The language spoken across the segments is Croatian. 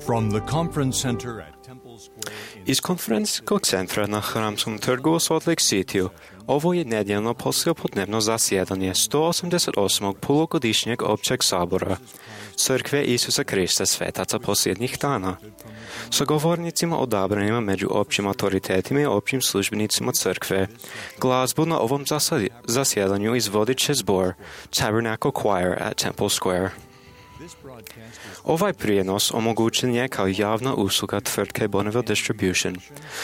From the conference center at Temple Square Iz konferencijskog centra na Hramskom trgu u Salt Lake Cityu ovo je nedjeljno poslijepodnevno zasjedanje 188. polugodišnjeg općeg sabora Crkve Isusa Krista svetaca posljednjih dana. Sa govornicima odabranima među općim autoritetima i općim službenicima crkve, glazbu na ovom zasjedanju izvodit će zbor Tabernacle Choir at Temple Square. Ovaj prijenos omogućen je kao javna usluga tvrtke Bonneville Distribution.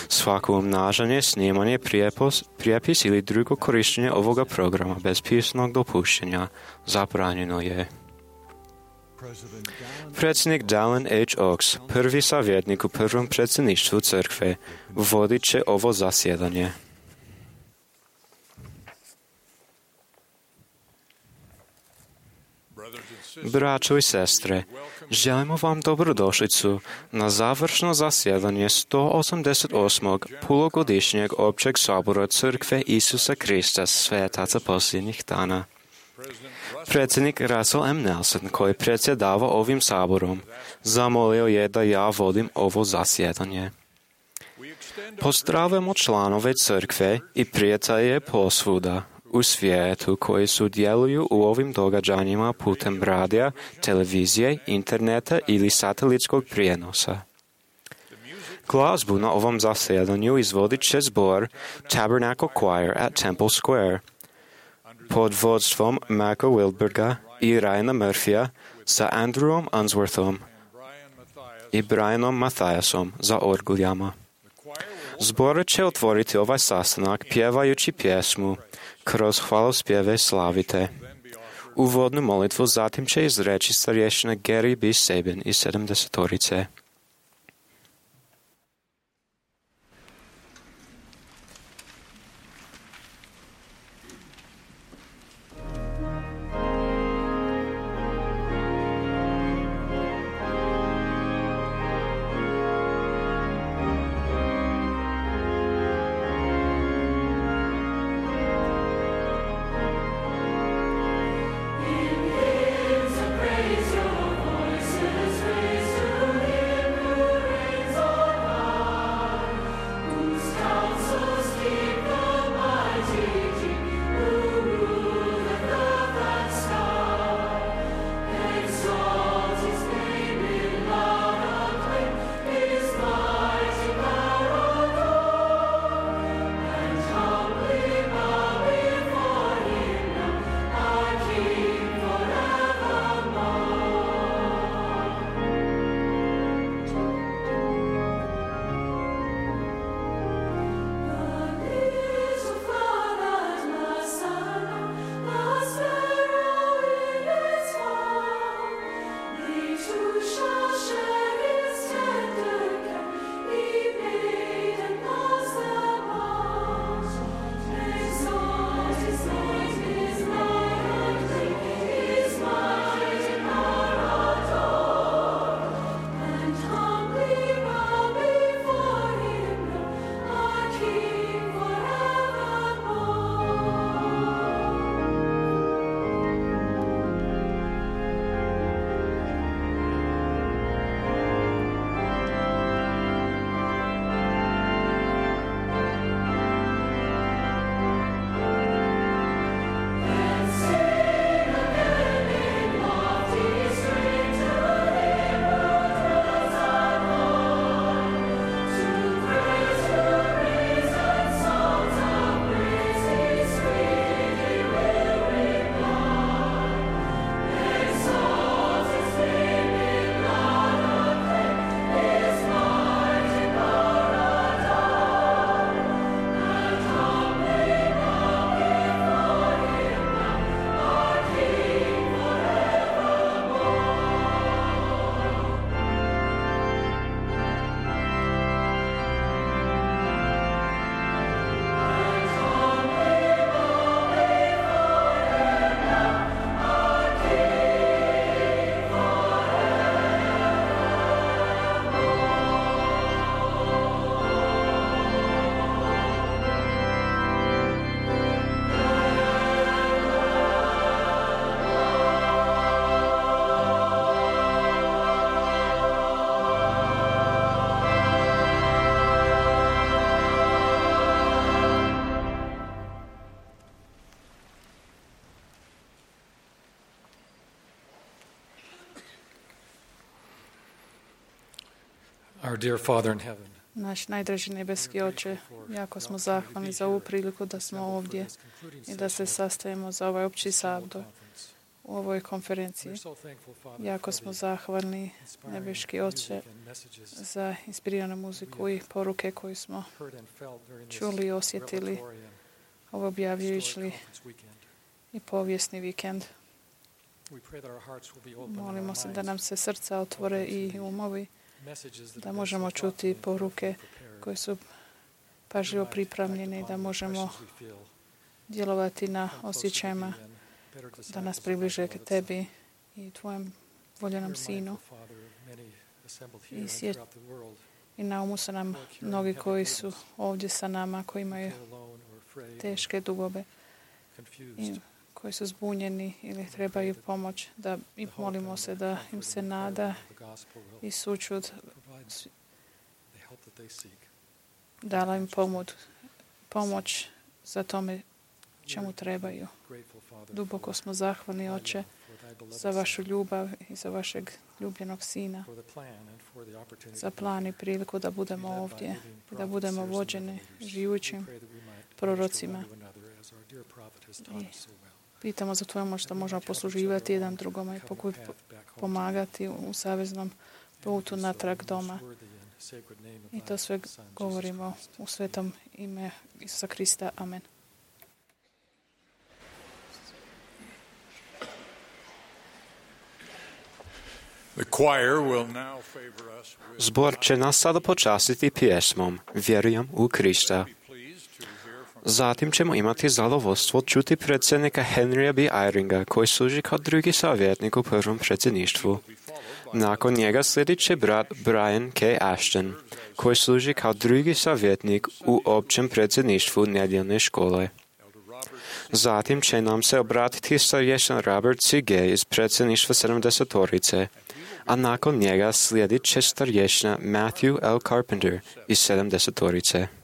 Svako umnažanje, snimanje, prijepis ili drugo korištenje ovoga programa bez pisanog dopuštenja zabranjeno je. Predsjednik Dallin H. Oaks, prvi savjetnik u prvom predsjedništvu crkve, vodit će ovo zasjedanje. Braćo i sestre, želimo vam dobrodošlicu na završno zasjedanje 188. polugodišnjeg općeg sabora Crkve Isusa Krista svetaca posljednjih dana. Predsjednik Russell M. Nelson, koji predsjedava ovim saborom, zamolio je da ja vodim ovo zasjedanje. Pozdravljamo članove crkve i prijatelje posvuda u svijetu koji sudjeluju u ovim događanjima putem radija, televizije, interneta ili satelitskog prijenosa. Glazbu na ovom zasjedanju izvodit će zbor Tabernacle Choir at Temple Square pod vodstvom Maka Wilberga i Ryana Murphya sa Andrewom Unsworthom i Brianom Mathiasom za orguljama. Zbor će otvoriti ovaj sastanak pjevajući pjesmu Kroz hvalospjeve slavite. Uvodnu molitvu zatim će izreći starješina Gary B. Sabin iz 70-torice. Praise your voices, raise to hear. Our dear Father in heaven, Naš najdraži nebeski Oče, jako smo zahvalni za ovu priliku da smo ovdje i da se sastajemo za ovaj opći sabor u ovoj konferenciji. Jako smo zahvalni, nebeski Oče, za inspiriranu muziku i poruke koje smo čuli i osjetili ovo objavljujući i povijesni vikend. Molimo se da nam se srca otvore i umovi, da možemo čuti poruke koje su pažljivo pripremljene i da možemo djelovati na osjećajima da nas približe k tebi i tvojem voljenom sinu. I na umu su nam mnogi koji su ovdje sa nama, koji imaju teške dugobe i koji su zbunjeni ili trebaju pomoć, da i molimo se da im se nada i sućut dala im pomoć za tome čemu trebaju. Duboko smo zahvalni, Oče, za vašu ljubav i za vašeg ljubljenog Sina, za plan i priliku da budemo ovdje, da budemo vođeni živućim prorocima. I pitamo za tvoju moć da možemo posluživati jedan drugome i pomagati u saveznom putu natrag doma. I to sve govorimo u svetom ime Isusa Krista. Amen. Zbor će nas sada počastiti pjesmom Vjerujem u Krista. Zatim ćemo imati zadovoljstvo čuti predsjednika Henrya B. Eyringa, koji služi kao drugi savjetnik u prvom predsjedništvu. Nakon njega slijedi će brat Brian K. Ashton, koji služi kao drugi savjetnik u općem predsjedništvu nedjeljne škole. Zatim će nam se obratiti starješan Robert C. Gay iz predsjedništva 70-torice, a nakon njega slijedit će starješna Matthew L. Carpenter iz 70-torice. To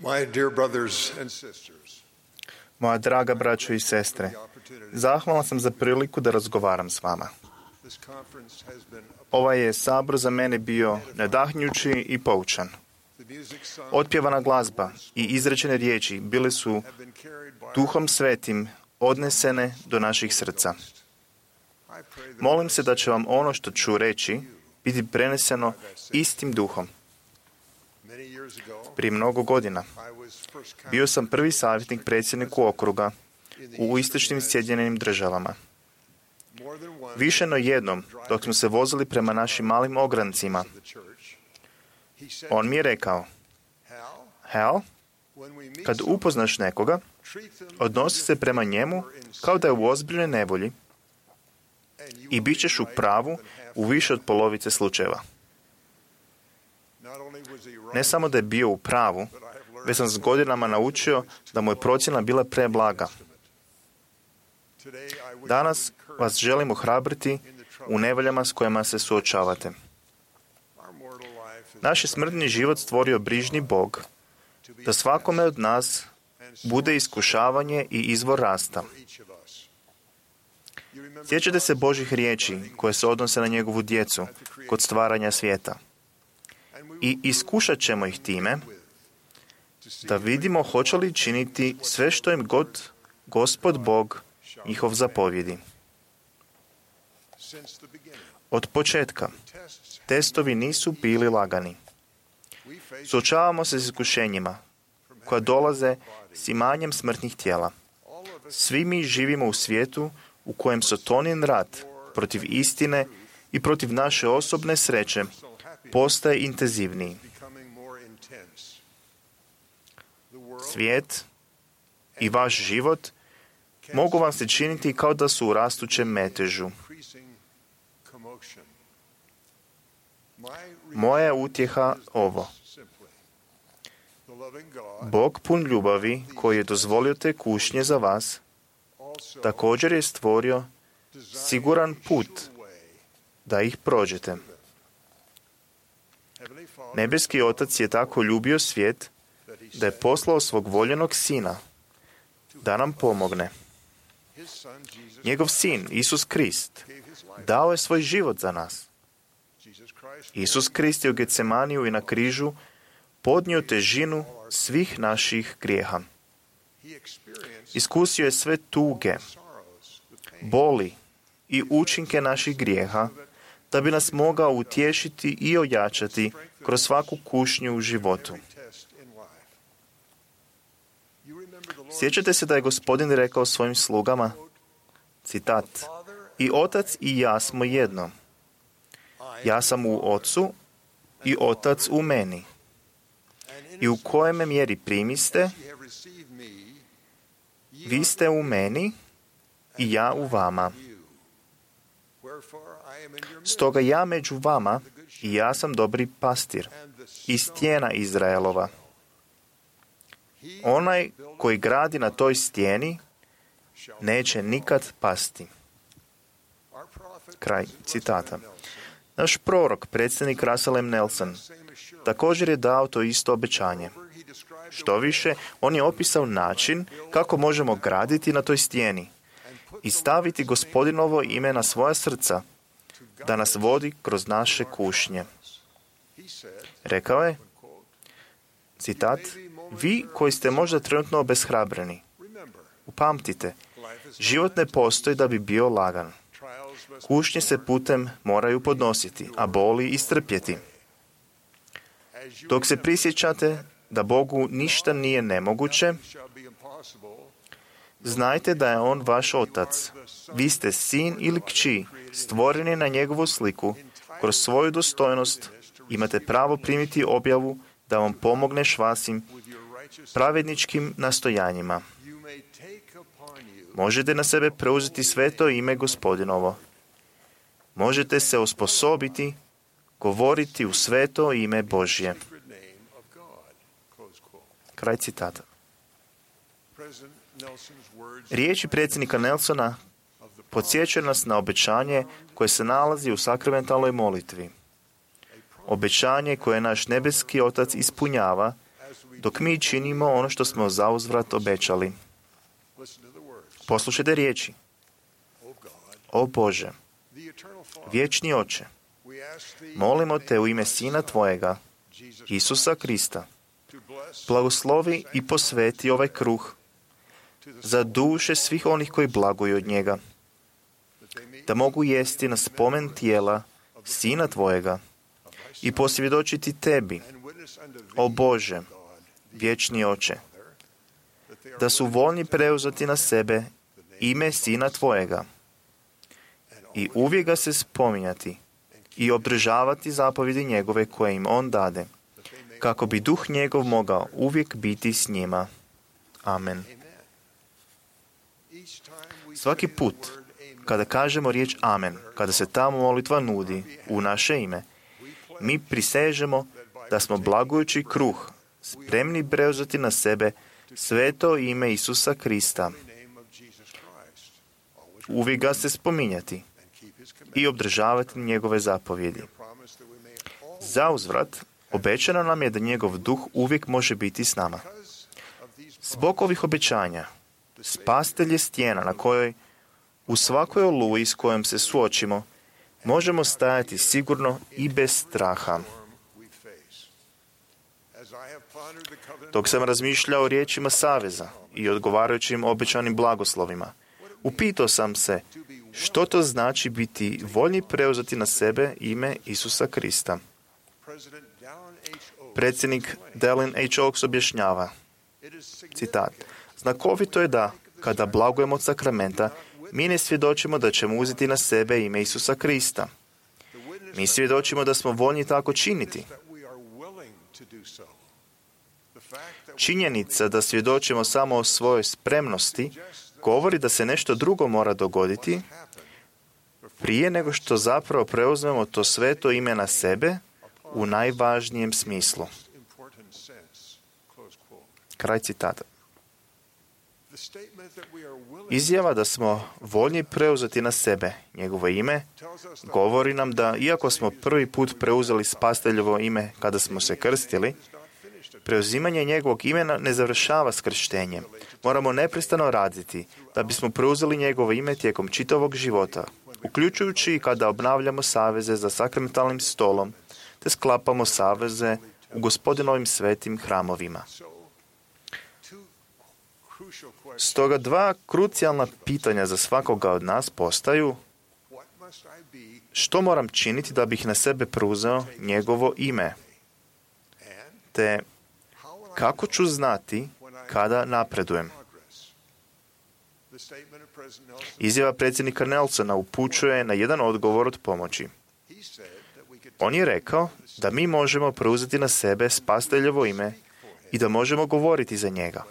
My dear brothers and sisters, Moja draga braćo i sestre, zahvalan sam za priliku da razgovaram s vama. this conference has been Ovaj je sabor za mene bio nadahnjući i poučan. the music sung Otpjevana glazba i izrečene riječi bile su have been carried by Duhom Svetim odnesene do naših srca. I pray that Molim se da će vam ono što ću reći biti preneseno istim duhom. many years ago Prije mnogo godina I was first bio sam prvi savjetnik predsjedniku okruga u istočnim Sjedinjenim Državama. more than once Više no jednom, dok smo se vozili prema našim malim ograncima, to the church. He said, on mi je rekao: Hal, when we meet kad someone, upoznaš nekoga, treat them odnosi se prema njemu kao da je u ozbiljnoj nevolji and you i will bit be ćeš u right pravu more than half u the više od time. polovice slučajeva. Not only was he right, Ne samo da je bio u pravu, but I have learned već sam s godinama naučio da mu je procjena bila preblaga. today I wish Danas to encourage vas želim ohrabriti u nevoljama s kojima se suočavate. our mortal life is Naš je smrtni život stvorio brižni Bog to be da svakome od nas and bude iskušavanje i izvor rasta. for each of us. You remember Sjećate se Božih riječi koje se odnose na njegovu djecu kod stvaranja svijeta. and we I iskušat ćemo ih time to see da vidimo hoće li činiti sve što im god Gospod Bog njihov zapovjedi. since the beginning. Od početka Tests testovi nisu bili lagani. we face Suočavamo se s iskušenjima koja dolaze s imanjem smrtnih tijela. all of us Svi mi živimo u svijetu u kojem Satanin rat protiv istine i protiv naše osobne sreće so happy postaje intenzivniji. becoming more intense. The world Svijet i vaš život mogu vam se činiti kao da su u rastućem metežu. increasing commotion. My Moja je utjeha ovo. simply the loving God Bog pun ljubavi koji je dozvolio te kušnje za vas, also također je stvorio designed siguran a put sure way. da ih prođete. Heavenly Father, Nebeski Otac je tako ljubio svijet that he da je sent poslao svog voljenog Sina da nam pomogne. his son Jesus Njegov Sin, Isus Krist, gave his life. dao je svoj život za nas. Jesus Christ Isus Krist je u Getsemaniju i na križu podnio težinu svih naših grijeha. he experienced Iskusio je sve tuge, sorrows, the pain boli i učinke naših grijeha da bi nas mogao utješiti i ojačati kroz svaku kušnju u životu. every test in life. You remember the Lord Sjećate se da je Gospodin rekao svojim slugama, citat, i Otac i ja smo jedno. Ja sam u Ocu i Otac u meni. I u kojem me mjeri primiste, ye have received me, ye vi ste u meni i ja u vama. you. Wherefore I am in your midst, Stoga ja među vama i ja sam dobri pastir and the i stone stijena Izraelova. he Onaj koji gradi na toj stijeni shall neće nikad pasti. Our prophet, Kraj citata. Nelson, Naš prorok, predsjednik Russell M. Nelson, same assurance. također je dao to isto obećanje. He described the Što više, on je opisao način kako možemo graditi na toj stijeni i staviti Gospodinovo ime na svoja srca, da nas vodi kroz naše kušnje. He said, Rekao je, quote, citat, vi koji ste možda trenutno obeshrabreni, remember, upamtite, life is život ne postoji da bi bio lagan. trials must Kušnje se putem moraju podnositi, a boli istrpjeti. as you Dok se prisjećate da Bogu ništa nije nemoguće, shall be impossible. znajte da je On vaš Otac. Vi ste sin ili kći, stvoreni na njegovu sliku. Kroz svoju dostojnost imate pravo primiti objavu da vam pomogneš vašim With your righteous pravedničkim nastojanjima. you may take upon you Možete na sebe preuzeti sveto ime Gospodinovo. Možete se osposobiti govoriti u sveto ime Božje. sacred name of God. Close quote. Kraj citata. President Nelson's words Riječi predsjednika Nelsona of the podsjećaju nas na obećanje koje se nalazi u sakramentalnoj molitvi. Obećanje koje naš nebeski Otac ispunjava dok mi činimo ono što smo zauzvrat obećali. Poslušajte riječi. O Bože, vječni Oče, molimo te u ime Sina Tvojega, Isusa Krista, blagoslovi i posveti ovaj kruh za duše svih onih koji blaguju od njega, da mogu jesti na spomen tijela Sina Tvojega i posvjedočiti Tebi, o Bože, vječni Oče, da su voljni preuzeti na sebe ime Sina Tvojega i uvijek ga se spominjati i obdržavati zapovjedi njegove koje im on dade, kako bi duh njegov mogao uvijek biti s njima. Amen. Svaki put kada kažemo riječ amen, kada se ta molitva nudi u naše ime, mi prisežemo da smo blagujući kruh, spremni preuzeti na sebe sveto ime Isusa Krista. Uvijek ga se spominjati i obdržavati njegove zapovjedi. Zauzvrat, obećano nam je da njegov duh uvijek može biti s nama. Zbog ovih obećanja, spasitelj je stijena na kojoj u svakoj oluji s kojom se suočimo možemo stajati sigurno i bez straha. Dok sam razmišljao o riječima saveza i odgovarajućim obećanim blagoslovima, upitao sam se što to znači biti voljni preuzeti na sebe ime Isusa Krista. Predsjednik Dallin H. Oaks objašnjava, citat, znakovito je da, kada blagujemo od sakramenta, mi ne svjedočimo da ćemo uzeti na sebe ime Isusa Krista. Mi svjedočimo da smo voljni tako činiti. Činjenica da svjedočimo samo o svojoj spremnosti govori da se nešto drugo mora dogoditi prije nego što zapravo preuzmemo to sveto ime na sebe u najvažnijem smislu. Kraj citata. Izjava da smo voljni preuzeti na sebe njegovo ime govori nam da, iako smo prvi put preuzeli spasiteljevo ime kada smo se krstili, preuzimanje njegovog imena ne završava s krštenjem. Moramo neprestano raditi da bismo preuzeli njegovo ime tijekom čitavog života, uključujući i kada obnavljamo saveze za sakramentalnim stolom, te sklapamo saveze u Gospodinovim svetim hramovima. Stoga dva krucijalna pitanja za svakoga od nas postaju: što moram činiti da bih na sebe preuzeo njegovo ime? Te kako ću znati kada napredujem? Izjava predsjednika Nelsona upućuje na jedan odgovor od pomoći. On je rekao da mi možemo preuzeti na sebe spasiteljevo ime i da možemo govoriti za njega.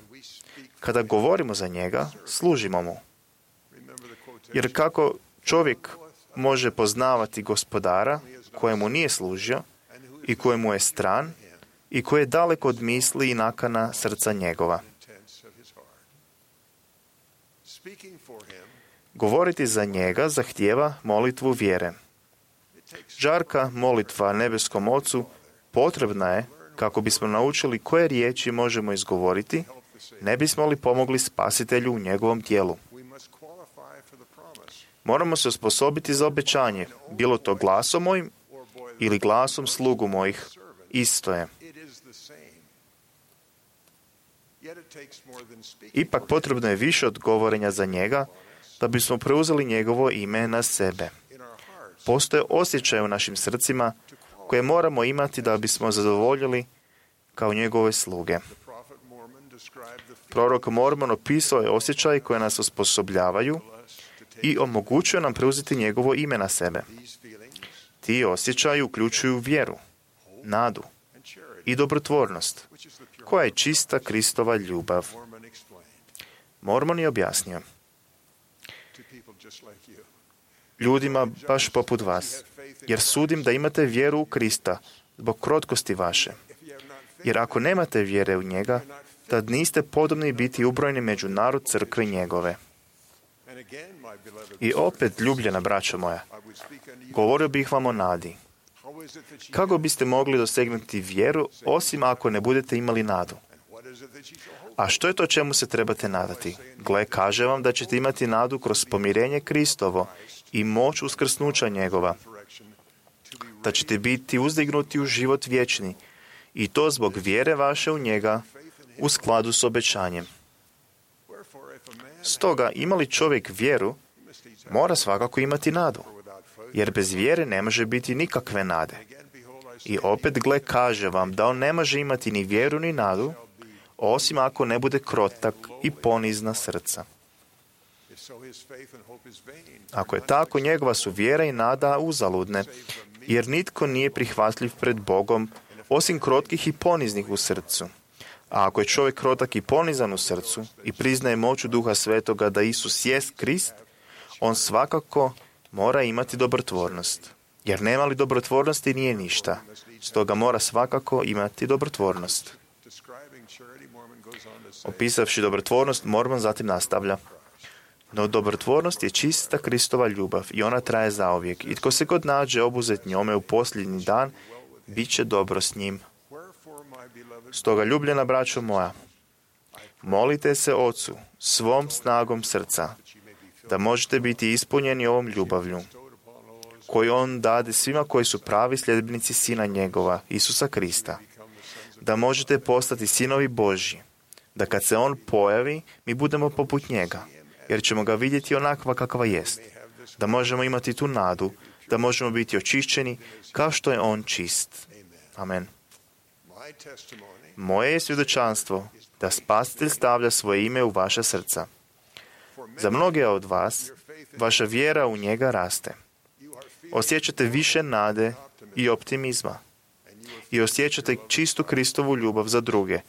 Kada govorimo za njega, služimo mu. Jer kako čovjek može poznavati gospodara kojemu nije služio i kojemu je stran i koji je daleko od misli i nakana srca njegova? Govoriti za njega zahtijeva molitvu vjere. Žarka molitva nebeskom Ocu potrebna je kako bismo naučili koje riječi možemo izgovoriti, ne bismo li pomogli spasitelju u njegovom tijelu. Moramo se osposobiti za obećanje, bilo to glasom mojim ili glasom slugu mojih, isto je. Ipak potrebno je više od govorenja za njega da bismo preuzeli njegovo ime na sebe. Postoje osjećaje u našim srcima koje moramo imati da bismo zadovoljili kao njegove sluge. Prorok Mormon opisao je osjećaje koje nas osposobljavaju i omogućuje nam preuzeti njegovo ime na sebe. Ti osjećaji uključuju vjeru, nadu i dobrotvornost, koja je čista Kristova ljubav. Mormon je objasnio: ljudima baš poput vas, jer sudim da imate vjeru u Krista zbog krotkosti vaše. Jer ako nemate vjere u njega, tad niste podobni biti ubrojeni među narod crkve njegove. I opet, ljubljena braćo moja, govorio bih vam o nadi. Kako biste mogli dosegnuti vjeru osim ako ne budete imali nadu? A što je to čemu se trebate nadati? Gle, kaže vam da ćete imati nadu kroz pomirenje Kristovo i moć uskrsnuća njegova, da ćete biti uzdignuti u život vječni, i to zbog vjere vaše u njega, u skladu s obećanjem. Stoga, ima li čovjek vjeru, mora svakako imati nadu, jer bez vjere ne može biti nikakve nade. I opet, gle, kaže vam da on ne može imati ni vjeru ni nadu, osim ako ne bude krotak i ponizna srca. Ako je tako, njegova su vjera i nada uzaludne, jer nitko nije prihvatljiv pred Bogom, osim krotkih i poniznih u srcu. A ako je čovjek krotak i ponizan u srcu i priznaje moću Duha Svetoga da Isus jest Krist, on svakako mora imati dobrotvornost. Jer nema li dobrotvornosti nije ništa. Stoga mora svakako imati dobrotvornost. Opisavši dobrotvornost, Mormon zatim nastavlja. No dobrotvornost je čista Kristova ljubav i ona traje zauvijek. I tko se god nađe obuzet njome u posljednji dan, bit će dobro s njim. Stoga, ljubljena braćo moja, molite se Ocu svom snagom srca, da možete biti ispunjeni ovom ljubavlju, koju on dade svima koji su pravi sljedbenici Sina njegova, Isusa Krista, da možete postati sinovi Božji, da kad se on pojavi, mi budemo poput njega, jer ćemo ga vidjeti onakva kakva jest, da možemo imati tu nadu, da možemo biti očišćeni kao što je on čist. Amen. Moje je svjedočanstvo da Spasitelj stavlja svoje ime u vaša srca. Za mnoge od vas, vaša vjera u njega raste. Osjećate više nade i optimizma. I osjećate čistu Kristovu ljubav za druge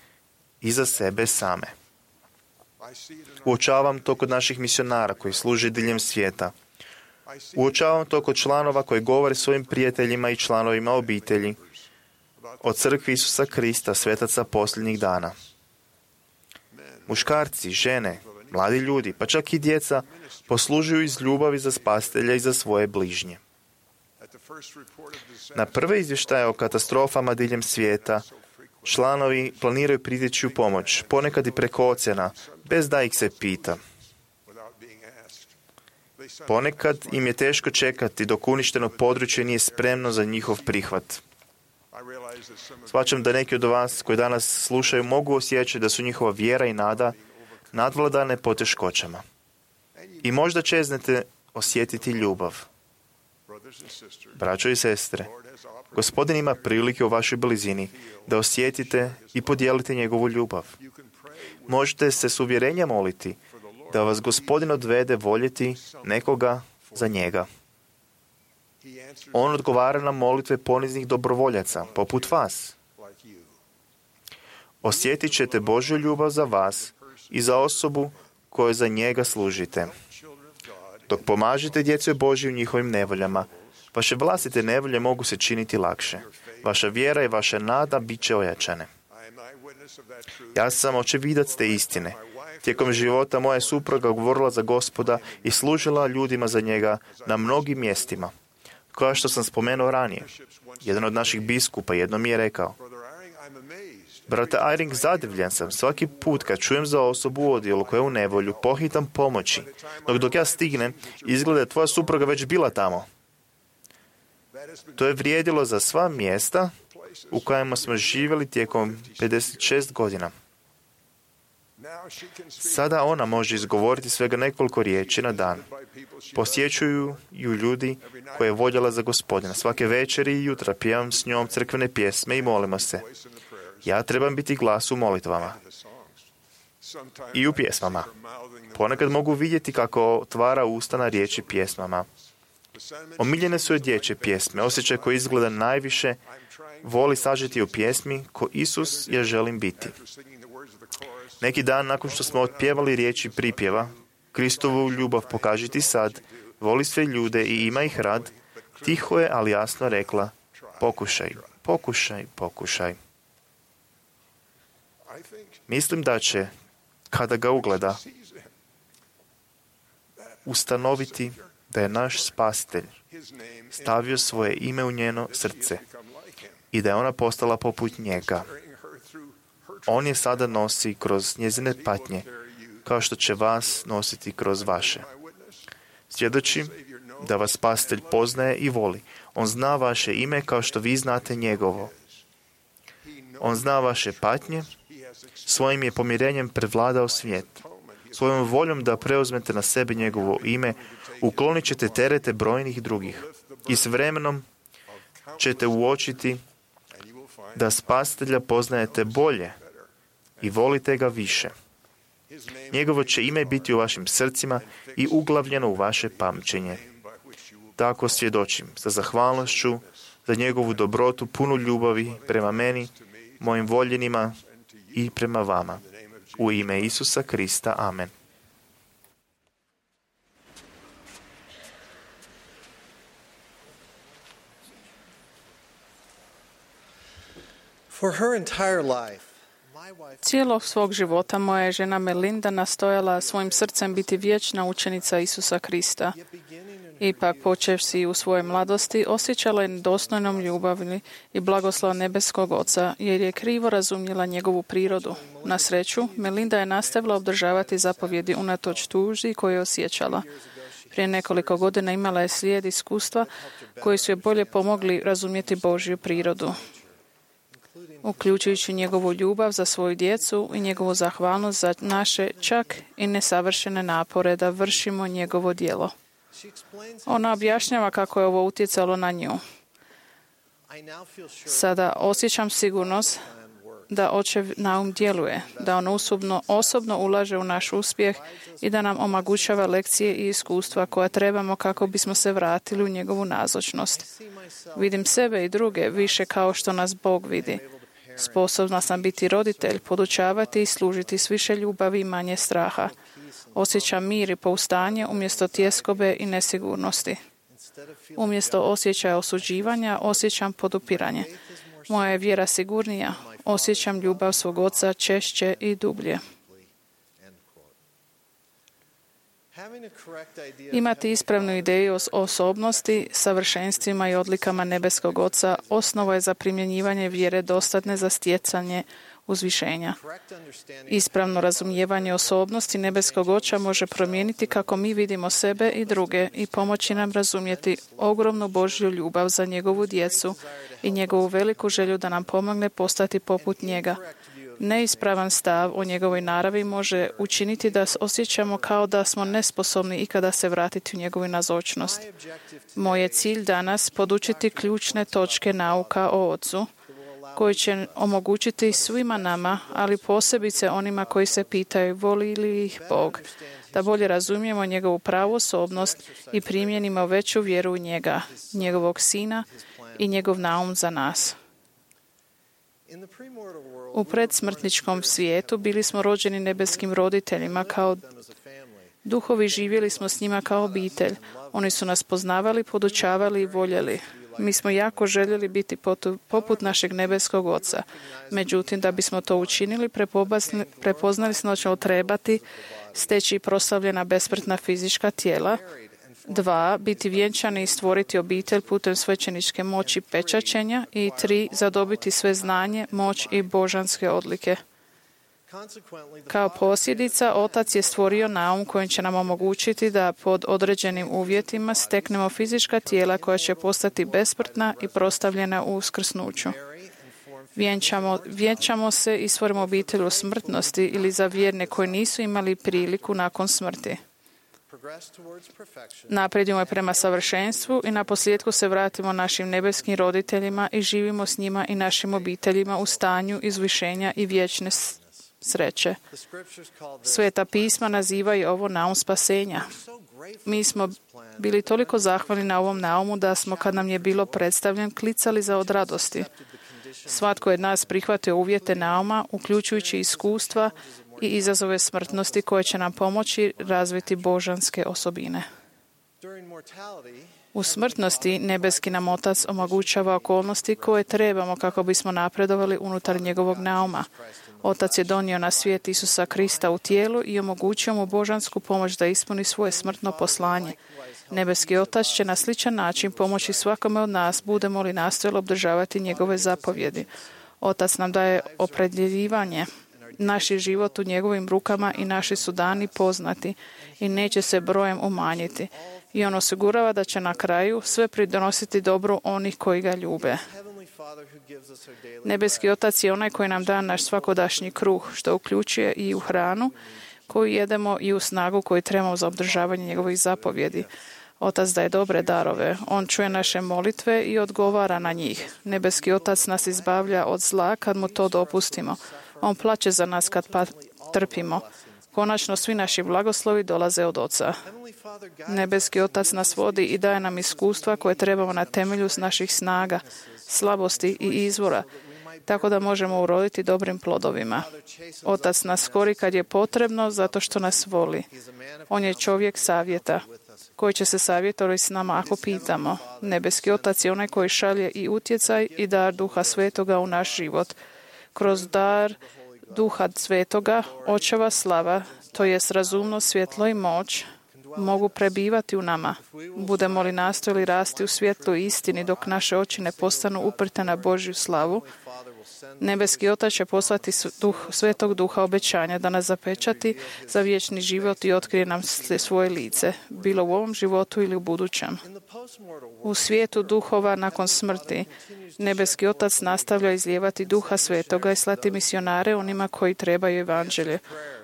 i za sebe same. Uočavam to kod naših misionara koji služe diljem svijeta. Uočavam to kod članova koji govore svojim prijateljima i članovima obitelji o crkvi Isusa Krista, svetaca posljednjih dana. Muškarci, žene, mladi ljudi, pa čak i djeca poslužuju iz ljubavi za Spasitelja i za svoje bližnje. Na prve izvještaje o katastrofama diljem svijeta, članovi planiraju priteći u pomoć, ponekad i preko oceana, bez da ih se pita. Ponekad im je teško čekati dok uništeno područje nije spremno za njihov prihvat. Shvaćam da neki od vas koji danas slušaju mogu osjećati da su njihova vjera i nada nadvladane poteškoćama. I možda čeznete osjetiti ljubav. Braćo i sestre, Gospodin ima prilike u vašoj blizini da osjetite i podijelite njegovu ljubav. Možete se s uvjerenjem moliti da vas Gospodin odvede voljeti nekoga za njega. On odgovara na molitve poniznih dobrovoljaca, poput vas. Osjetit ćete Božju ljubav za vas i za osobu koju za njega služite. Dok pomažete djeci Božji u njihovim nevoljama, vaše vlastite nevolje mogu se činiti lakše. Vaša vjera i vaša nada bit će ojačane. Ja sam očevidac te istine. Tijekom života moja supruga govorila za Gospoda i služila ljudima za njega na mnogim mjestima. Kao što sam spomenuo ranije, jedan od naših biskupa jednom mi je rekao: brate Eyring, zadivljen sam svaki put kad čujem za osobu u odjelu koja je u nevolju, pohitam pomoći. Dok ja stignem, izgleda je tvoja supruga već bila tamo. To je vrijedilo za sva mjesta u kojima smo živjeli tijekom 56 godina. Sada ona može izgovoriti svega nekoliko riječi na dan. Posjećuju ju ljudi koje je voljela za Gospodina. Svake večeri i jutra pjevam s njom crkvene pjesme i molimo se. Ja trebam biti glas u molitvama i u pjesmama. Ponekad mogu vidjeti kako otvara usta na riječi pjesmama. Omiljene su joj dječje pjesme, osjećaj koji izgleda najviše voli sažeti u pjesmi ko Isus ja želim biti. Neki dan nakon što smo otpjevali riječi pripjeva, Kristovu ljubav pokaži ti sad, voli sve ljude i ima ih rad, tiho je, ali jasno rekla: pokušaj, pokušaj, pokušaj. Mislim da će, kada ga ugleda, ustanoviti da je naš Spasitelj stavio svoje ime u njeno srce i da je ona postala poput njega. On je sada nosi kroz njezine patnje, kao što će vas nositi kroz vaše. Svjedočim da vas Spasitelj poznaje i voli. On zna vaše ime kao što vi znate njegovo. On zna vaše patnje, svojim je pomirenjem prevladao svijet. Svojom voljom da preuzmete na sebe njegovo ime, uklonit ćete terete brojnih drugih. I s vremenom ćete uočiti da Spasitelja poznajete bolje i volite ga više. Njegovo će ime biti u vašim srcima i uglavljeno u vaše pamćenje. Tako svjedočim sa zahvalnošću za njegovu dobrotu, punu ljubavi prema meni, mojim voljenima i prema vama. U ime Isusa Krista. Amen. For her entire life, Cijelog svog života moja je žena Melinda nastojala svojim srcem biti vječna učenica Isusa Krista. Ipak, počevši u svojoj mladosti, osjećala je nedostojnom ljubavni i blagoslov nebeskog Oca, jer je krivo razumjela njegovu prirodu. Na sreću, Melinda je nastavila obdržavati zapovjedi unatoč tuži koju je osjećala. Prije nekoliko godina imala je slijed iskustva koji su je bolje pomogli razumjeti Božju prirodu, uključujući njegovu ljubav za svoju djecu i njegovu zahvalnost za naše čak i nesavršene napore da vršimo njegovo djelo. Ona objašnjava kako je ovo utjecalo na nju. Sada osjećam sigurnost da Očev naum djeluje, da on osobno ulaže u naš uspjeh i da nam omogućava lekcije i iskustva koja trebamo kako bismo se vratili u njegovu nazočnost. Vidim sebe i druge više kao što nas Bog vidi. Sposobna sam biti roditelj, podučavati i služiti s više ljubavi i manje straha. Osjećam mir i pouzdanje umjesto tjeskobe i nesigurnosti. Umjesto osjećaja osuđivanja, osjećam podupiranje. Moja je vjera sigurnija, osjećam ljubav svog Oca češće i dublje. Imati ispravnu ideju o osobnosti, savršenstvima i odlikama nebeskog Oca osnova je za primjenjivanje vjere dostatne za stjecanje uzvišenja. Ispravno razumijevanje osobnosti nebeskog Oca može promijeniti kako mi vidimo sebe i druge i pomoći nam razumjeti ogromnu Božju ljubav za njegovu djecu i njegovu veliku želju da nam pomogne postati poput njega. Neispravan stav o njegovoj naravi može učiniti da osjećamo kao da smo nesposobni ikada se vratiti u njegovu nazočnost. Moj je cilj danas podučiti ključne točke nauka o Ocu, koji će omogućiti svima nama, ali posebice onima koji se pitaju voli li ih Bog, da bolje razumijemo njegovu pravu osobnost i primjenimo veću vjeru u njega, njegovog Sina i njegov naum za nas. U predsmrtničkom svijetu bili smo rođeni nebeskim roditeljima kao duhovi, živjeli smo s njima kao obitelj. Oni su nas poznavali, podučavali i voljeli. Mi smo jako željeli biti poput našeg nebeskog Oca. Međutim, da bismo to učinili, prepoznali smo da ćemo trebati steći proslavljena besmrtna fizička tijela. 2. Biti vjenčani i stvoriti obitelj putem svećeničke moći pečaćenja. I 3. Zadobiti sve znanje, moć i božanske odlike. Kao posljedica, Otac je stvorio naum kojim će nam omogućiti da pod određenim uvjetima steknemo fizička tijela koja će postati besmrtna i prostavljena u uskrsnuću. Vjenčamo se i stvorimo obitelj u smrtnosti ili za vjerne koji nisu imali priliku nakon smrti. Napredujemo prema savršenstvu i na posljedku se vratimo našim nebeskim roditeljima i živimo s njima i našim obiteljima u stanju izvišenja i vječne sreće. Sveta pisma nazivaju ovo naum spasenja. Mi smo bili toliko zahvalni na ovom naumu da smo, kad nam je bilo predstavljen, klicali za od radosti. Svatko je od nas prihvatio uvjete nauma, uključujući iskustva i izazove smrtnosti koje će nam pomoći razviti božanske osobine. U smrtnosti nebeski nam Otac omogućava okolnosti koje trebamo kako bismo napredovali unutar njegovog nauma. Otac je donio na svijet Isusa Krista u tijelu i omogućio mu božansku pomoć da ispuni svoje smrtno poslanje. Nebeski Otac će na sličan način pomoći svakome od nas, budemo li nastojali obdržavati njegove zapovjedi. Otac nam daje opredjeljivanje. Naš je život u njegovim rukama i naši su dani poznati i neće se brojem umanjiti. I on osigurava da će na kraju sve pridonositi dobru onih koji ga ljube. Nebeski Otac je onaj koji nam da naš svakodašnji kruh, što uključuje i u hranu koju jedemo i u snagu koju trebamo za obdržavanje njegovih zapovjedi. Otac daje dobre darove. On čuje naše molitve i odgovara na njih. Nebeski Otac nas izbavlja od zla kad mu to dopustimo. On plače za nas kad trpimo. Konačno, svi naši blagoslovi dolaze od Oca. Nebeski Otac nas vodi i daje nam iskustva koje trebamo na temelju naših snaga, slabosti i izvora, tako da možemo uroditi dobrim plodovima. Otac nas kori kad je potrebno, zato što nas voli. On je čovjek savjeta, koji će se savjetovati s nama ako pitamo. Nebeski Otac je onaj koji šalje i utjecaj i dar Duha Svetoga u naš život. Kroz dar Duha Svetoga, Očeva slava, to jest razumnost, svjetlo i moć, mogu prebivati u nama. Budemo li nastojali rasti u svjetlu i istini dok naše oči ne postanu uprte na Božju slavu, Nebeski Otac će poslati Svetog Duha obećanja da nas zapečati za vječni život i otkrije nam svoje lice, bilo u ovom životu ili u budućem. U svijetu duhova nakon smrti, Nebeski Otac nastavlja izlijevati Duha Svetoga i slati misionare onima koji trebaju evanđelje.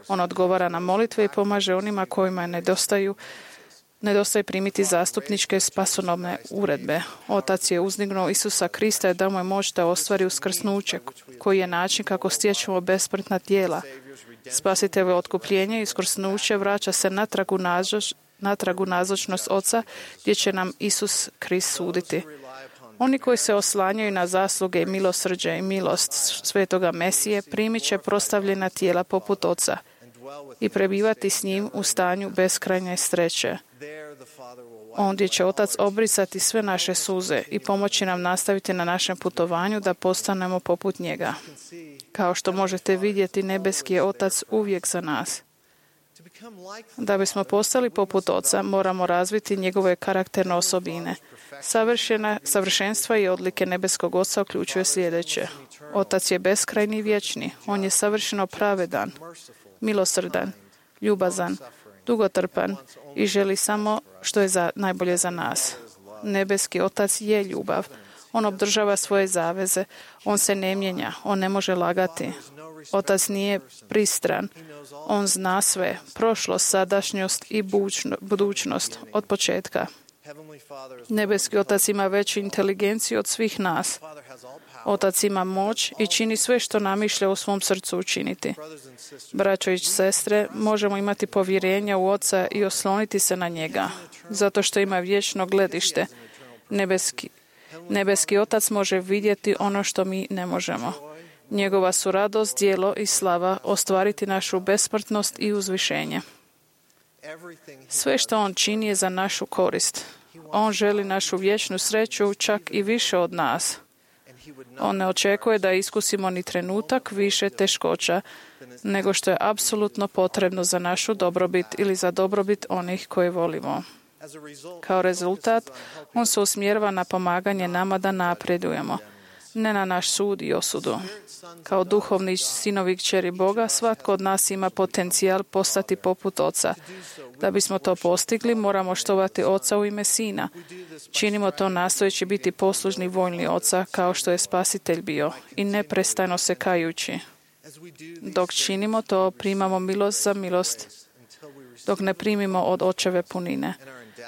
On odgovara na molitve i pomaže onima kojima nedostaje primiti zastupničke spasonosne uredbe. Otac je uzdignuo Isusa Krista i dao mu je moć da ostvari uskrsnuće, koji je način kako stječemo besmrtna tijela. Spasiteljevo otkupljenje i uskrsnuće vraća se natrag u nazočnost Oca, gdje će nam Isus Krist suditi. Oni koji se oslanjaju na zasluge i milosrđe i milost Svetoga Mesije primit će prostavljena tijela poput Oca i prebivati s njim u stanju beskrajne sreće. Ondje će Otac obrisati sve naše suze i pomoći nam nastaviti na našem putovanju da postanemo poput njega. Kao što možete vidjeti, Nebeski je Otac uvijek za nas. Da bismo postali poput Oca, moramo razviti njegove karakterne osobine. Savršenstva i odlike Nebeskog Oca uključuje sljedeće. Otac je beskrajni i vječni. On je savršeno pravedan, milosrdan, ljubazan, dugotrpan i želi samo što je najbolje za nas. Nebeski Otac je ljubav. On obdržava svoje zaveze. On se ne mijenja. On ne može lagati. Otac nije pristran. On zna sve. Prošlost, sadašnjost i budućnost od početka. Nebeski Otac ima veću inteligenciju od svih nas. Otac ima moć i čini sve što namišlja u svom srcu učiniti. Braćo i sestre, možemo imati povjerenja u Oca i osloniti se na njega, zato što ima vječno gledište. Nebeski Otac može vidjeti ono što mi ne možemo. Njegova su radost, djelo i slava ostvariti našu besmrtnost i uzvišenje. Sve što on čini je za našu korist. On želi našu vječnu sreću čak i više od nas. On ne očekuje da iskusimo ni trenutak više teškoća, nego što je apsolutno potrebno za našu dobrobit ili za dobrobit onih koje volimo. Kao rezultat, on se usmjerava na pomaganje nama da napredujemo, ne na naš sud i osudu. Kao duhovni sinovi i kćeri Boga, svatko od nas ima potencijal postati poput Oca. Da bismo to postigli, moramo štovati Oca u ime Sina. Činimo to nastojeći biti poslužni voljni Oca, kao što je Spasitelj bio, i neprestano se kajući. Dok činimo to, primamo milost za milost, dok ne primimo od Očeve punine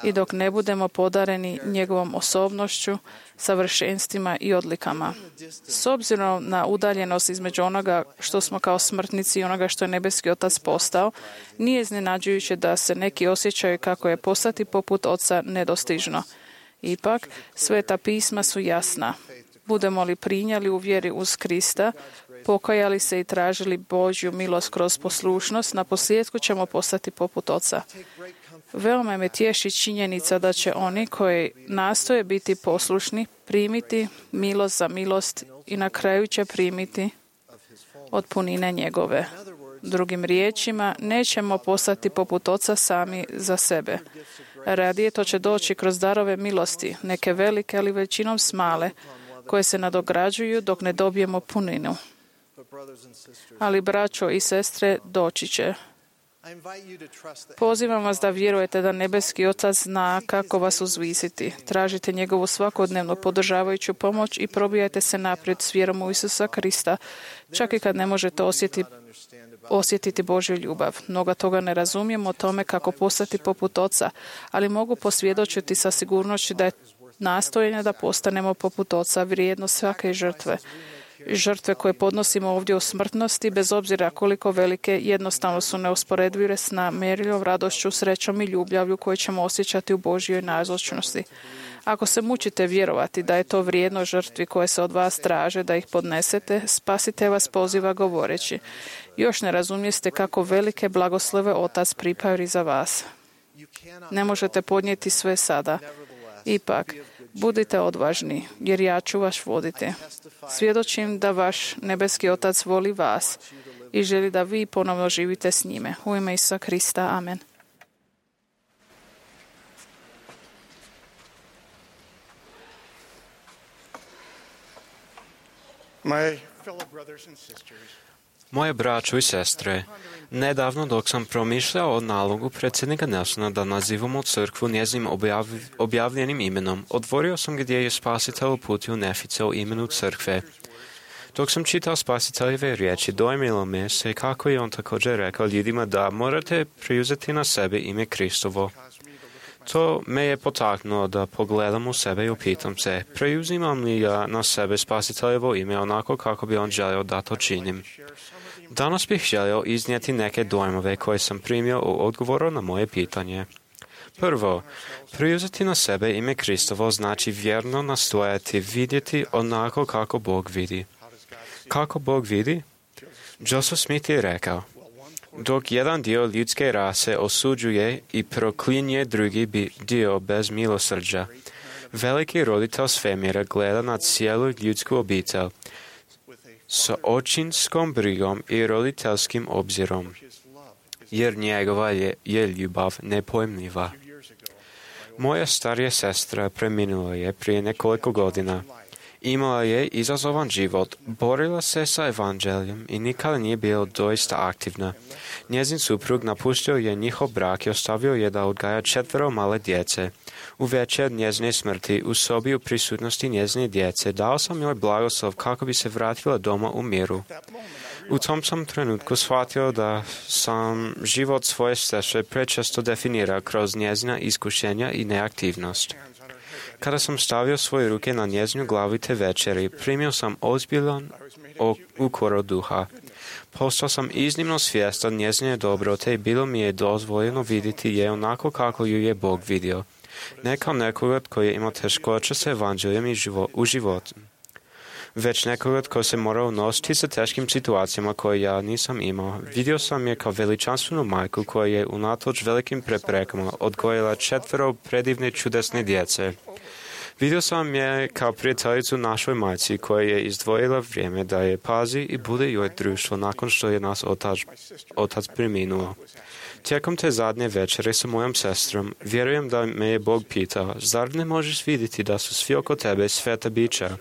i dok ne budemo podareni njegovom osobnošću, savršenstvima i odlikama. S obzirom na udaljenost između onoga što smo kao smrtnici i onoga što je Nebeski Otac postao, nije iznenađujuće da se neki osjećaju kako je postati poput Oca nedostižno. Ipak, Sveta pisma su jasna. Budemo li prinijeli u vjeri uz Krista, pokajali se i tražili Božju milost kroz poslušnost, na posljedku ćemo postati poput Oca. Veoma me tješi činjenica da će oni koji nastoje biti poslušni primiti milost za milost i na kraju će primiti od punine njegove. Drugim riječima, nećemo postati poput Oca sami za sebe. Radije to će doći kroz darove milosti, neke velike, ali većinom smale, koje se nadograđuju dok ne dobijemo puninu. Ali, braćo i sestre, doći će. Pozivam vas da vjerujete da nebeski Otac zna kako vas uzvisiti. Tražite njegovu svakodnevno podržavajuću pomoć i probijajte se naprijed s vjerom u Isusa Krista, čak i kad ne možete osjetiti Božju ljubav. Mnoga toga ne razumijem o tome kako postati poput Oca, ali mogu posvjedočiti sa sigurnošću da je nastojanje da postanemo poput Oca vrijedno svake žrtve. Žrtve koje podnosimo ovdje u smrtnosti, bez obzira koliko velike, jednostavno su neusporedive s namjerilom radošću, srećom i ljubavlju koje ćemo osjećati u Božjoj nazočnosti. Ako se mučite vjerovati da je to vrijedno žrtvi koje se od vas traže da ih podnesete, Spasitelj vas poziva govoreći: još ne razumijeste kako velike blagoslove Otac pripremi za vas. Ne možete podnijeti sve sada. Ipak, budite odvažni, jer ja ću vas voditi. Svjedočim da vaš nebeski Otac voli vas i želi da vi ponovno živite s njime. U ime Isusa Krista. Amen. My fellow brothers and sisters, Moje braćo i sestre, nedavno dok sam promišljao o nalogu predsjednika Nelsona da nazivamo crkvu njezinim objavljenim imenom, otvorio sam gdje je Spasitelj uputio Nefice o imenu crkve. Dok sam čitao Spasiteljeve riječi, dojmilo me se kako je on također rekao ljudima da morate preuzeti na sebe ime Kristovo. To me je potaknulo da pogledam u sebe i upitam se, preuzimam li ja na sebe Spasiteljevo ime onako kako bi on želio da to činim. Danas bih želio iznijeti neke dojmove koje sam primio u odgovoru na moje pitanje. Prvo, preuzeti na sebe ime Kristovo znači vjerno nastojati vidjeti onako kako Bog vidi. Kako Bog vidi? Joseph Smith je rekao: dok jedan dio ljudske rase osuđuje i proklinje drugi dio bez milosrđa, veliki roditelj svemira gleda na cijelu ljudsku obitelj s očinskom brigom i roditeljskim obzirom, jer njegova je ljubav nepojmljiva. Moja starija sestra preminula je prije nekoliko godina. Imala je izazovan život, borila se sa evanđeljem i nikada nije bila doista aktivna. Njezin suprug napustio je njihov brak i ostavio je da odgaja 4 male djece. U večer njezine smrti, u sobi u prisutnosti njezine djece, dao sam joj blagoslov kako bi se vratila doma u miru. U tom sam trenutku shvatio da sam život svoje sestre prečesto definirao kroz njezina iskušenja i neaktivnost. Kada sam stavio svoje ruke na njezinu glavu te večeri, primio sam ozbiljan ukor od duha. Postao sam iznimno svjestan njezine dobrote i bilo mi je dozvoljeno vidjeti je onako kako ju je Bog vidio. Ne kao nekoga koji je imao teškoće sa evanđeljem u životu, već nekoga tko se morao nositi sa teškim situacijama koje ja nisam imao. Vidio sam je kao veličanstvenu majku koja je unatoč velikim preprekama odgojila 4 predivne čudesne djece. Vidio sam je kao prijateljicu našoj majci koja je izdvojila vrijeme da je pazi i bude joj društvo nakon što je nas otac preminuo. Tijekom te zadnje večere sa mojom sestrom, vjerujem da me je Bog pitao: zar ne možeš vidjeti da su svi oko tebe sveta bića?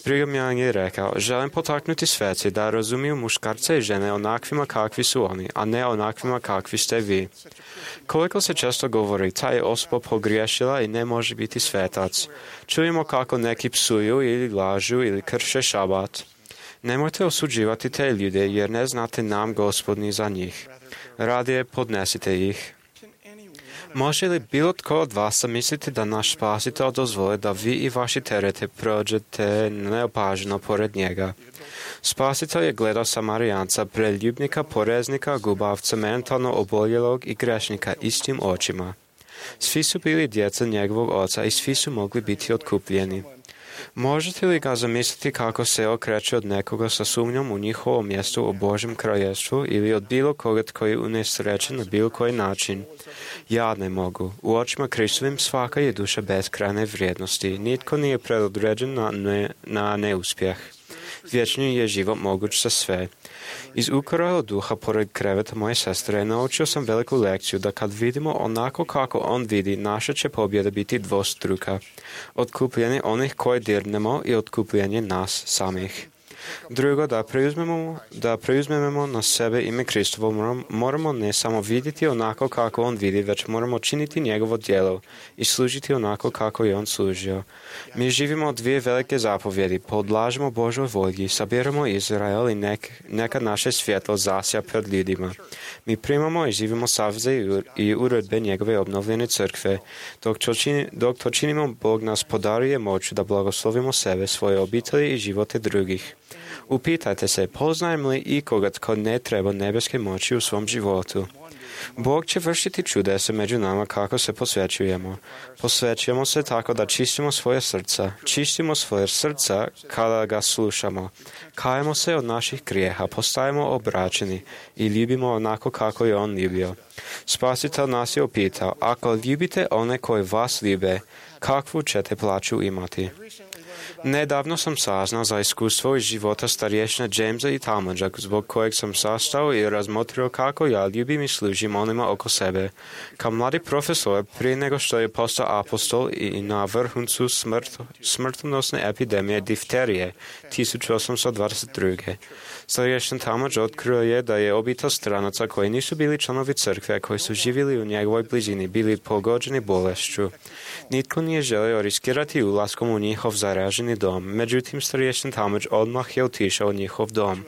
Brigham je rekao: želim potaknuti sveci da razumiju muškarce i žene onakvima kakvi su oni, a ne onakvima kakvi ste vi. Koliko se često govori, ta je osoba pogriješila i ne može biti svetac. Čujemo kako neki psuju ili lažu ili krše šabat. Nemojte osuđivati te ljude jer ne znate nam Gospodni za njih. Radije podnesite ih. Može li bilo tko od vas misliti da naš Spasitelj dozvoli da vi i vaši terete prođete neopaženo pored njega? Spasitelj je gledao Samarijanca, preljubnika, poreznika, gubavca, mentalno oboljelog i grešnika istim očima. Svi su bili djeca njegovog oca i svi su mogli biti otkupljeni. Možete li ga zamisliti kako se okreće od nekoga sa sumnjom u njihovo mjesto u Božjem kraljevstvu ili od bilo koga tko je unesrećen na bilo koji način? Ja ne mogu. U očima Kristovim svaka je duša beskrajne vrijednosti. Nitko nije predodređen na neuspjeh. Vječni je život moguć za sve. Iz ukora od duha pored kreveta moje sestre naučio sam veliku lekciju da kad vidimo onako kako on vidi, naša će pobjeda biti dvostruka. Otkupljenje onih koje dirnemo i otkupljenje nas samih. Drugo, da preuzmemo na sebe ime Kristovo, moramo ne samo vidjeti onako kako on vidi, već moramo činiti njegovo djelo i služiti onako kako je on služio. Mi živimo dvije velike zapovjedi, podlažemo Božoj volji, sabiramo Izrael i neka naše svjetlo zasja pred ljudima. Mi primamo i živimo saveze i uredbe njegove obnovljene crkve. Dok to činimo, Bog nas podaruje moć da blagoslovimo sebe, svoje obitelji i živote drugih. Upitajte se, poznajem li ikoga tko ne treba nebeske moći u svom životu? Bog će vršiti čudesa među nama kako se posvećujemo. Posvećujemo se tako da čistimo svoje srca. Čistimo svoje srca kada ga slušamo. Kajemo se od naših grijeha, postajemo obraćeni i ljubimo onako kako je on ljubio. Spasitelj nas je upitao, ako ljubite one koji vas ljube, kakvu ćete plaću imati? Nedavno sam saznao za iskustvo iz života starješina Jamesa i Talmadža, zbog kojeg sam sastao i razmotrio kako ja ljubim i služim onima oko sebe. Kao mladi profesor, prije nego što je postao apostol i na vrhuncu smrtonosne epidemije difterije 1822. Starješin Talmadž otkrio je da je obitelj stranaca koji nisu bili članovi crkve, koji su živjeli u njegovoj blizini, bili pogođeni bolešću. Nitko nije želio riskirati ulaskom u njihov zaraženi dom, međutim starješin Talmadž odmah je otišao u njihov dom.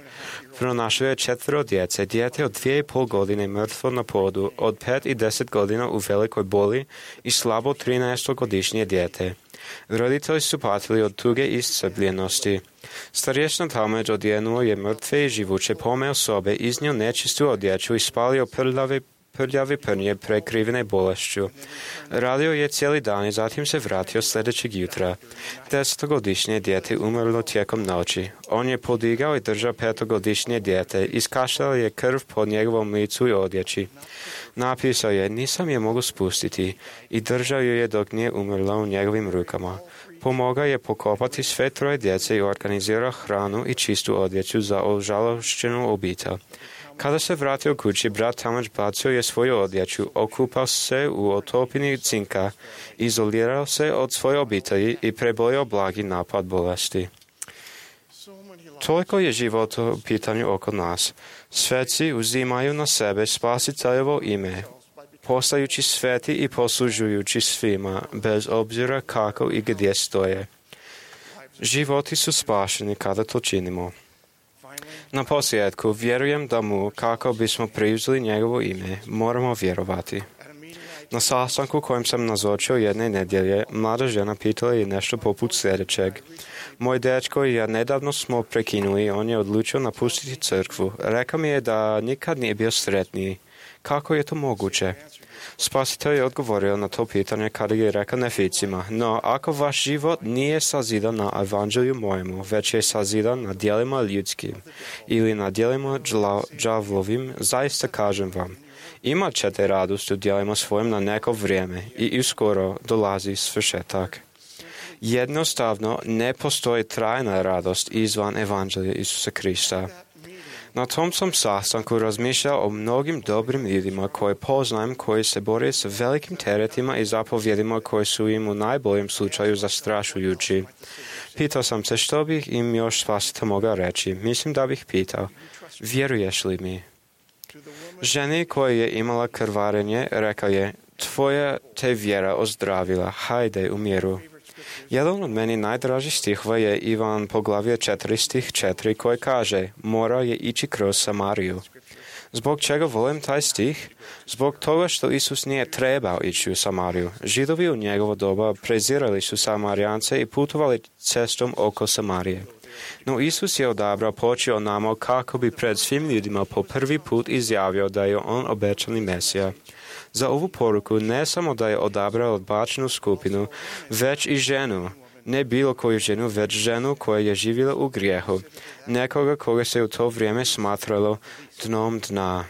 Pronašao je 4 djece, dijete od 2,5 godine mrtvo na podu, od 5 i 10 godina u velikoj boli i slabo 13-godišnje dijete. Roditelji su patili od tuge i iscrpljenosti. Starješin Talmadž odjenuo je mrtve i živuće, pomeo sobe, iznio nečistu odjeću i spalio prljave prnje prekrivene bolešću. Radio je cijeli dan i zatim se vratio sljedećeg jutra. 10-godišnje dijete umrlo tijekom noći. On je podigao i držao 5-godišnje dijete. Iskašljala je krv po njegovom licu i odjeći. Napisao je, nisam je mogu spustiti, i držao ju je dok nije umrla u njegovim rukama. Pomogao je pokopati sve 3 djece i organizirao hranu i čistu odjeću za ožalošćenu obitelj. Kada se vratio kući, brat Talmadž bacio je svoju odjeću, okupao se u otopini cinka, izolirao se od svoje obitelji i prebolio blagi napad bolesti. Toliko je život u pitanju oko nas. Sveci uzimaju na sebe Spasiteljevo ime, postajući sveti i poslužujući svima, bez obzira kako i gdje stoje. Životi su spašeni kada to činimo. Na posljedku, vjerujem da mu, kako bismo preuzeli njegovo ime, moramo vjerovati. Na sastanku kojem sam nazočio jedne nedjelje, mlada žena pitala je nešto poput sljedećeg. Moj dečko i ja nedavno smo prekinuli, on je odlučio napustiti crkvu. Rekao mi je da nikad nije bio sretniji. Kako je to moguće? Spasitelj je odgovorio na to pitanje kada je rekao neficima, no ako vaš život nije sazidan na evanđelju mojemu, već je sazidan na djelima ljudskim ili na djelima đavlovim, zaista kažem vam, imat ćete radost u djelima svojim na neko vrijeme i uskoro dolazi svršetak. Jednostavno ne postoji trajna radost izvan evanđelja Isusa Krista. Na tom sam sastanku razmišljao o mnogim dobrim ljudima koje poznajem, koji se bore s velikim teretima i zapovjedima koji su im u najboljem slučaju zastrašujući. Pitao sam se što bih im još Spasitelj mogao reći. Mislim da bih pitao, vjeruješ li mi? Ženi koja je imala krvarenje rekao je, tvoja te vjera ozdravila, hajde u miru. Jedan od meni najdražih stihova je Ivan poglavlje 4 stih 4 koji kaže, morao je ići kroz Samariju. Zbog čega volim taj stih? Zbog toga što Isus nije trebao ići u Samariju. Židovi u njegovo doba prezirali su Samarijance i putovali cestom oko Samarije. No Isus je odabrao poći onamo kako bi pred svim ljudima po prvi put izjavio da je on obećani Mesija. Za ovu poruku ne samo da je odabrao odbačenu skupinu, već i ženu. Ne bilo koju ženu, već ženu koja je živjela u grijehu. Nekoga koga se u to vrijeme smatralo dnom dna.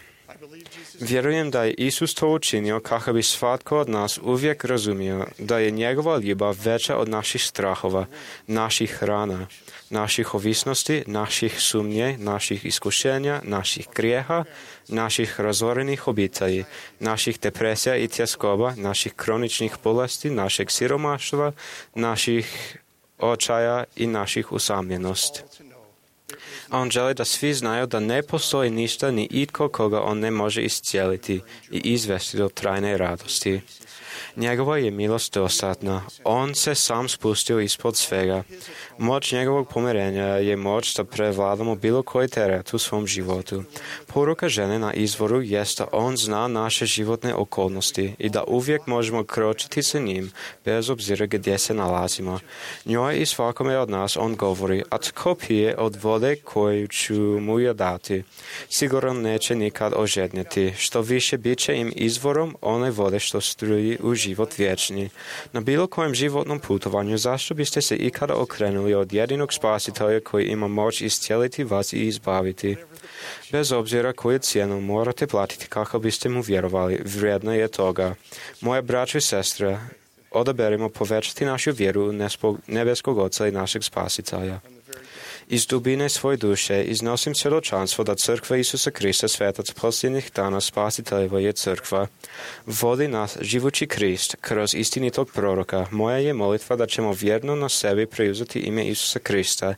Vjerujem da je Isus to učinio kako bi svatko od nas uvijek razumio da je njegova ljubav veća od naših strahova, naših rana, naših ovisnosti, naših sumnje, naših iskušenja, naših grijeha, naših razorenih obitelji, naših depresija i tjeskoba, naših kroničnih bolesti, našeg siromaštva, naših očaja i naših usamljenosti. A on želi da svi znaju da ne postoji ništa ni itko koga on ne može iscijeliti i izvesti do trajne radosti. Njegova je milost dostatna. On se sam spustio ispod svega. Moć njegovog pomirenja je moć da prevladamo bilo koji teret u svom životu. Poruka žene na izvoru jest da on zna naše životne okolnosti i da uvijek možemo kročiti sa njim, bez obzira gdje se nalazimo. Njoj i svakome od nas on govori, a tko pije od vode koju ću mu ja dati, sigurno neće nikad ožednjeti. Što više bit će im izvorom one vode što struji u život vječni. Na bilo kojem životnom putovanju zašto biste se ikada okrenuli od jedinog spasitelja koji ima moć iscijeliti vas i izbaviti? Bez obzira koju cijenu morate platiti kako biste mu vjerovali, vrijedno je toga. Moje braće i sestre, odaberimo povećati našu vjeru u nebeskog Oca i našeg Spasitelja. Iz dubine svoje duše iznosim svjedočanstvo da crkva Isusa Krista, svetac posljednjih dana, Spasiteljeva je crkva. Vodi nas živući Krist kroz istinitog proroka. Moja je molitva da ćemo vjerno na sebi preuzeti ime Isusa Krista,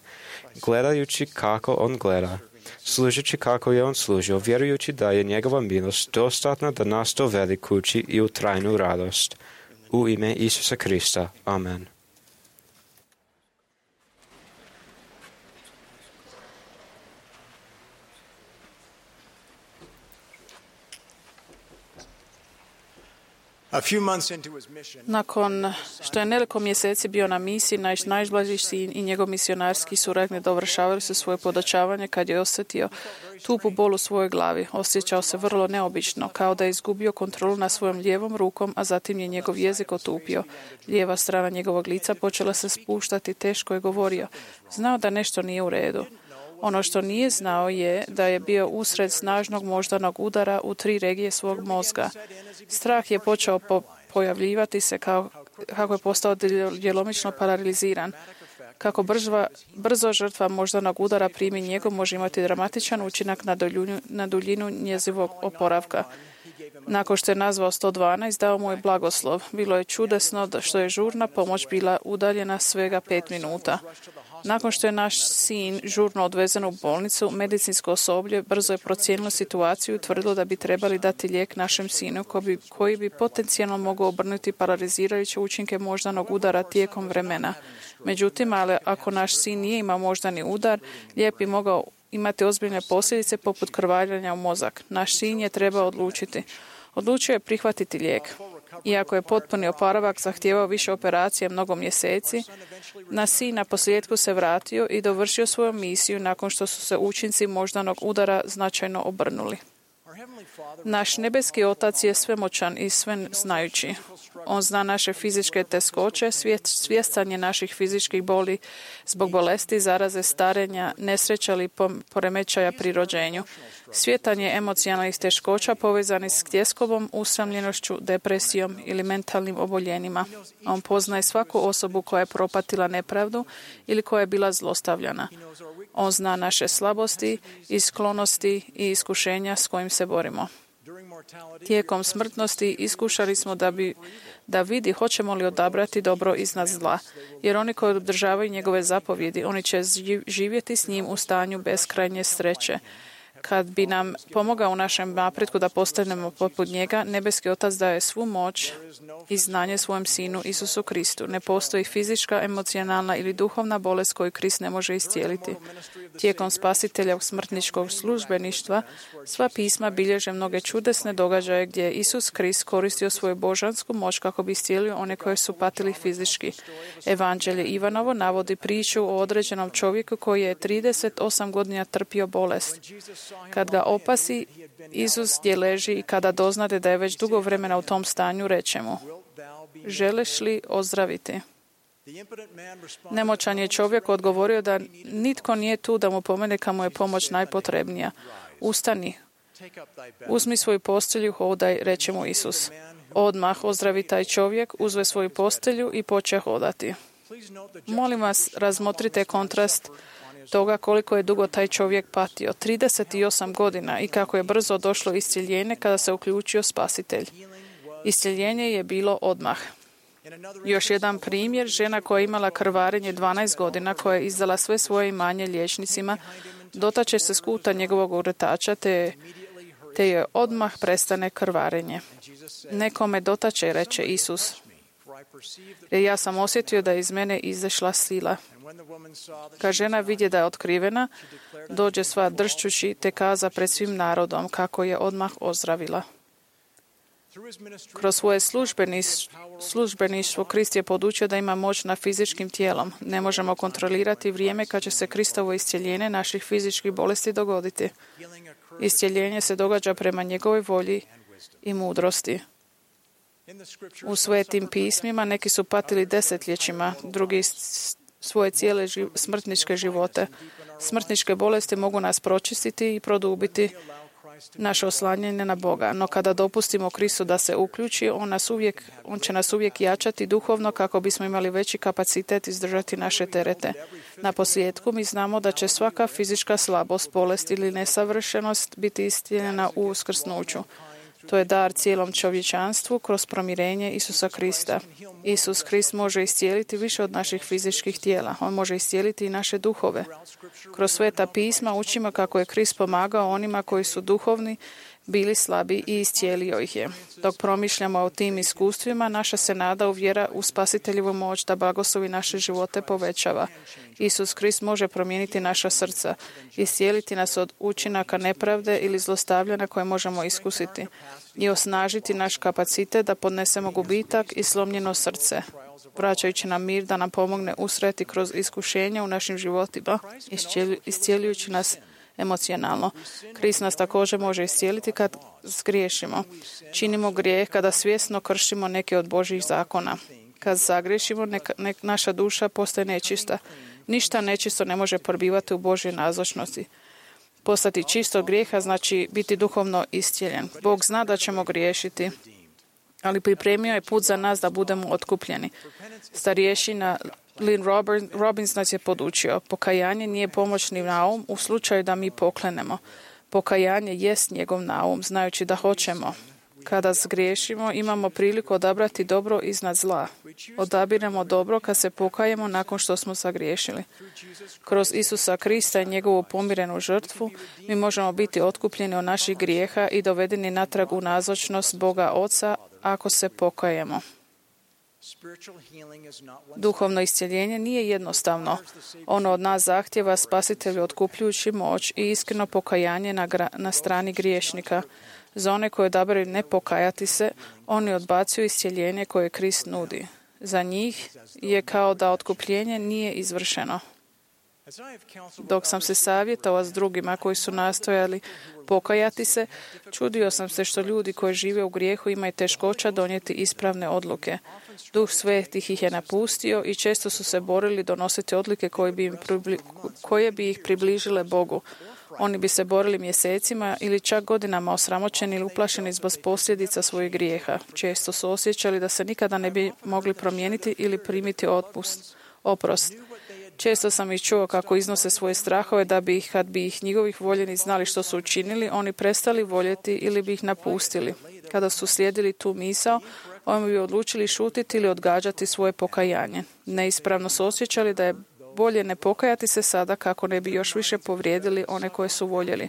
gledajući kako on gleda, služeći kako je on služio, vjerujući da je njegova milost dostatna da nas dovede kući i u trajnu radost. U ime Isusa Krista. Amen. Nakon što je nekoliko mjeseci bio na misiji, naš najbliži sin i njegov misionarski suradnik dovršavali su svoje podučavanje kad je osjetio tupu bol u svojoj glavi. Osjećao se vrlo neobično, kao da je izgubio kontrolu nad svojom lijevom rukom, a zatim je njegov jezik otupio. Lijeva strana njegovog lica počela se spuštati, teško je govorio. Znao da nešto nije u redu. Ono što nije znao je da je bio usred snažnog moždanog udara u 3 regije svog mozga. Strah je počeo pojavljivati se kako je postao djelomično paraliziran. Kako brzo žrtva moždanog udara primi njegov može imati dramatičan učinak na duljinu njezinog oporavka. Nakon što je nazvao 112, dao mu je blagoslov. Bilo je čudesno što je žurna pomoć bila udaljena svega 5 minuta. Nakon što je naš sin žurno odvezen u bolnicu, medicinsko osoblje brzo je procijenilo situaciju i utvrdilo da bi trebali dati lijek našem sinu koji bi potencijalno mogao obrnuti paralizirajuće učinke moždanog udara tijekom vremena. Međutim, ali ako naš sin nije imao moždani udar, lijek bi mogao imati ozbiljne posljedice poput krvaljanja u mozak. Naš sin je trebao odlučiti. Odlučio je prihvatiti lijek. Iako je potpuni oporavak zahtijevao više operacije mnogo mjeseci, naš sin na posljedku se vratio i dovršio svoju misiju nakon što su se učinci moždanog udara značajno obrnuli. Naš nebeski Otac je svemoćan i sveznajući. On zna naše fizičke teškoće, svjestan je naših fizičkih boli zbog bolesti, zaraze, starenja, nesreća ili poremećaja pri rođenju. Svjestan je emocionalnih teškoća povezanih s tjeskobom, usamljenošću, depresijom ili mentalnim oboljenjima. On poznaje svaku osobu koja je propatila nepravdu ili koja je bila zlostavljana. On zna naše slabosti i sklonosti i iskušenja s kojim se borimo. Tijekom smrtnosti iskušali smo da vidi hoćemo li odabrati dobro iznad zla, jer oni koji održavaju njegove zapovjedi, oni će živjeti s njim u stanju beskrajnje sreće. Kad bi nam pomogao u našem napretku da postanemo poput njega, nebeski Otac daje svu moć i znanje svojem Sinu Isusu Kristu. Ne postoji fizička, emocionalna ili duhovna bolest koju Krist ne može iscijeliti. Tijekom spasiteljevog smrtničkog službeništva sva pisma bilježe mnoge čudesne događaje gdje je Isus Krist koristio svoju božansku moć kako bi iscijelio one koje su patili fizički. Evanđelje Ivanovo navodi priču o određenom čovjeku koji je 38 godina trpio bolest. Kad ga opasi Isus gdje leži i kada doznade da je već dugo vremena u tom stanju, reče mu: želiš li ozdraviti? Nemoćan je čovjek odgovorio da nitko nije tu da mu pomene kad mu je pomoć najpotrebnija. Ustani, Uzmi svoju postelju, hodaj, reče mu Isus. Odmah ozdravi taj čovjek, uzve svoju postelju i poče hodati. Molim vas, razmotrite kontrast toga koliko je dugo taj čovjek patio. 38 godina i kako je brzo došlo iscjeljenje kada se uključio Spasitelj. Iscjeljenje je bilo odmah. Još jedan primjer, žena koja je imala krvarenje 12 godina, koja je izdala sve svoje imanje liječnicima, dotače se skuta njegovog uretača, te je odmah prestane krvarenje. Nekome dotače, reče Isus, jer ja sam osjetio da je iz mene izašla sila. Kad žena vidje da je otkrivena, dođe sva dršćući te kaza pred svim narodom kako je odmah ozdravila. Kroz svoje službeništvo Krist je podučio da ima moć nad fizičkim tijelom. Ne možemo kontrolirati vrijeme kad će se Kristovo iscjeljenje naših fizičkih bolesti dogoditi. Iscjeljenje se događa prema njegovoj volji i mudrosti. U svetim pismima neki su patili desetljećima, drugi svoje cijele smrtničke živote. Smrtničke bolesti mogu nas pročistiti i produbiti naše oslanjanje na Boga. No kada dopustimo Kristu da se uključi, on će nas uvijek jačati duhovno kako bismo imali veći kapacitet izdržati naše terete. Na posljedku mi znamo da će svaka fizička slabost, bolest ili nesavršenost biti iscijeljena u uskrsnuću. To je dar cijelom čovječanstvu kroz promirenje Isusa Krista. Isus Krist može iscijeliti više od naših fizičkih tijela. On može iscijeliti i naše duhove. Kroz sveta pisma učimo kako je Krist pomagao onima koji su duhovni, bili slabi i iscijelio ih je. Dok promišljamo o tim iskustvima, naša se nada uvjera u Spasiteljevu moć da blagoslovi naše živote povećava. Isus Krist može promijeniti naša srca, iscijeliti nas od učinaka nepravde ili zlostavljanja koje možemo iskusiti i osnažiti naš kapacitet da podnesemo gubitak i slomljeno srce, vraćajući nam mir da nam pomogne usreti kroz iskušenja u našim životima, iscijeljujući nas emocionalno. Krist nas također može iscijeliti kad zgriješimo. Činimo grijeh kada svjesno kršimo neke od Božjih zakona. Kad zagriješimo, naša duša postaje nečista. Ništa nečisto ne može probivati u Božjoj nazočnosti. Postati čisto od grijeha znači biti duhovno iscijeljen. Bog zna da ćemo griješiti, ali pripremio je put za nas da budemo otkupljeni. Starješina Lynn Robbins nas je podučio. Pokajanje nije pomoćni naum u slučaju da mi poklenemo. Pokajanje jest njegov naum, znajući da hoćemo. Kada zgriješimo, imamo priliku odabrati dobro iznad zla. Odabiremo dobro kad se pokajemo nakon što smo zagriješili. Kroz Isusa Krista i njegovu pomirenu žrtvu mi možemo biti otkupljeni od naših grijeha i dovedeni natrag u nazočnost Boga Oca ako se pokajemo. Duhovno iscjeljenje nije jednostavno. Ono od nas zahtjeva Spasitelju otkupljujući moć i iskreno pokajanje na strani griješnika. Za one koje odaberu ne pokajati se, oni odbacuju iscjeljenje koje Krist nudi. Za njih je kao da otkupljenje nije izvršeno. Dok sam se savjetovao s drugima koji su nastojali pokajati se, čudio sam se što ljudi koji žive u grijehu imaju teškoća donijeti ispravne odluke. Duh Svetih ih je napustio i često su se borili donositi odluke koje bi ih približile Bogu. Oni bi se borili mjesecima ili čak godinama osramoćeni ili uplašeni zbog posljedica svojih grijeha. Često su osjećali da se nikada ne bi mogli promijeniti ili primiti oprost. Često sam ih čuo kako iznose svoje strahove da bi ih, kad bi ih njegovih voljeni znali što su učinili, oni prestali voljeti ili bi ih napustili. Kada su slijedili tu misao, oni bi odlučili šutiti ili odgađati svoje pokajanje. Neispravno su osjećali da je bolje ne pokajati se sada kako ne bi još više povrijedili one koje su voljeli.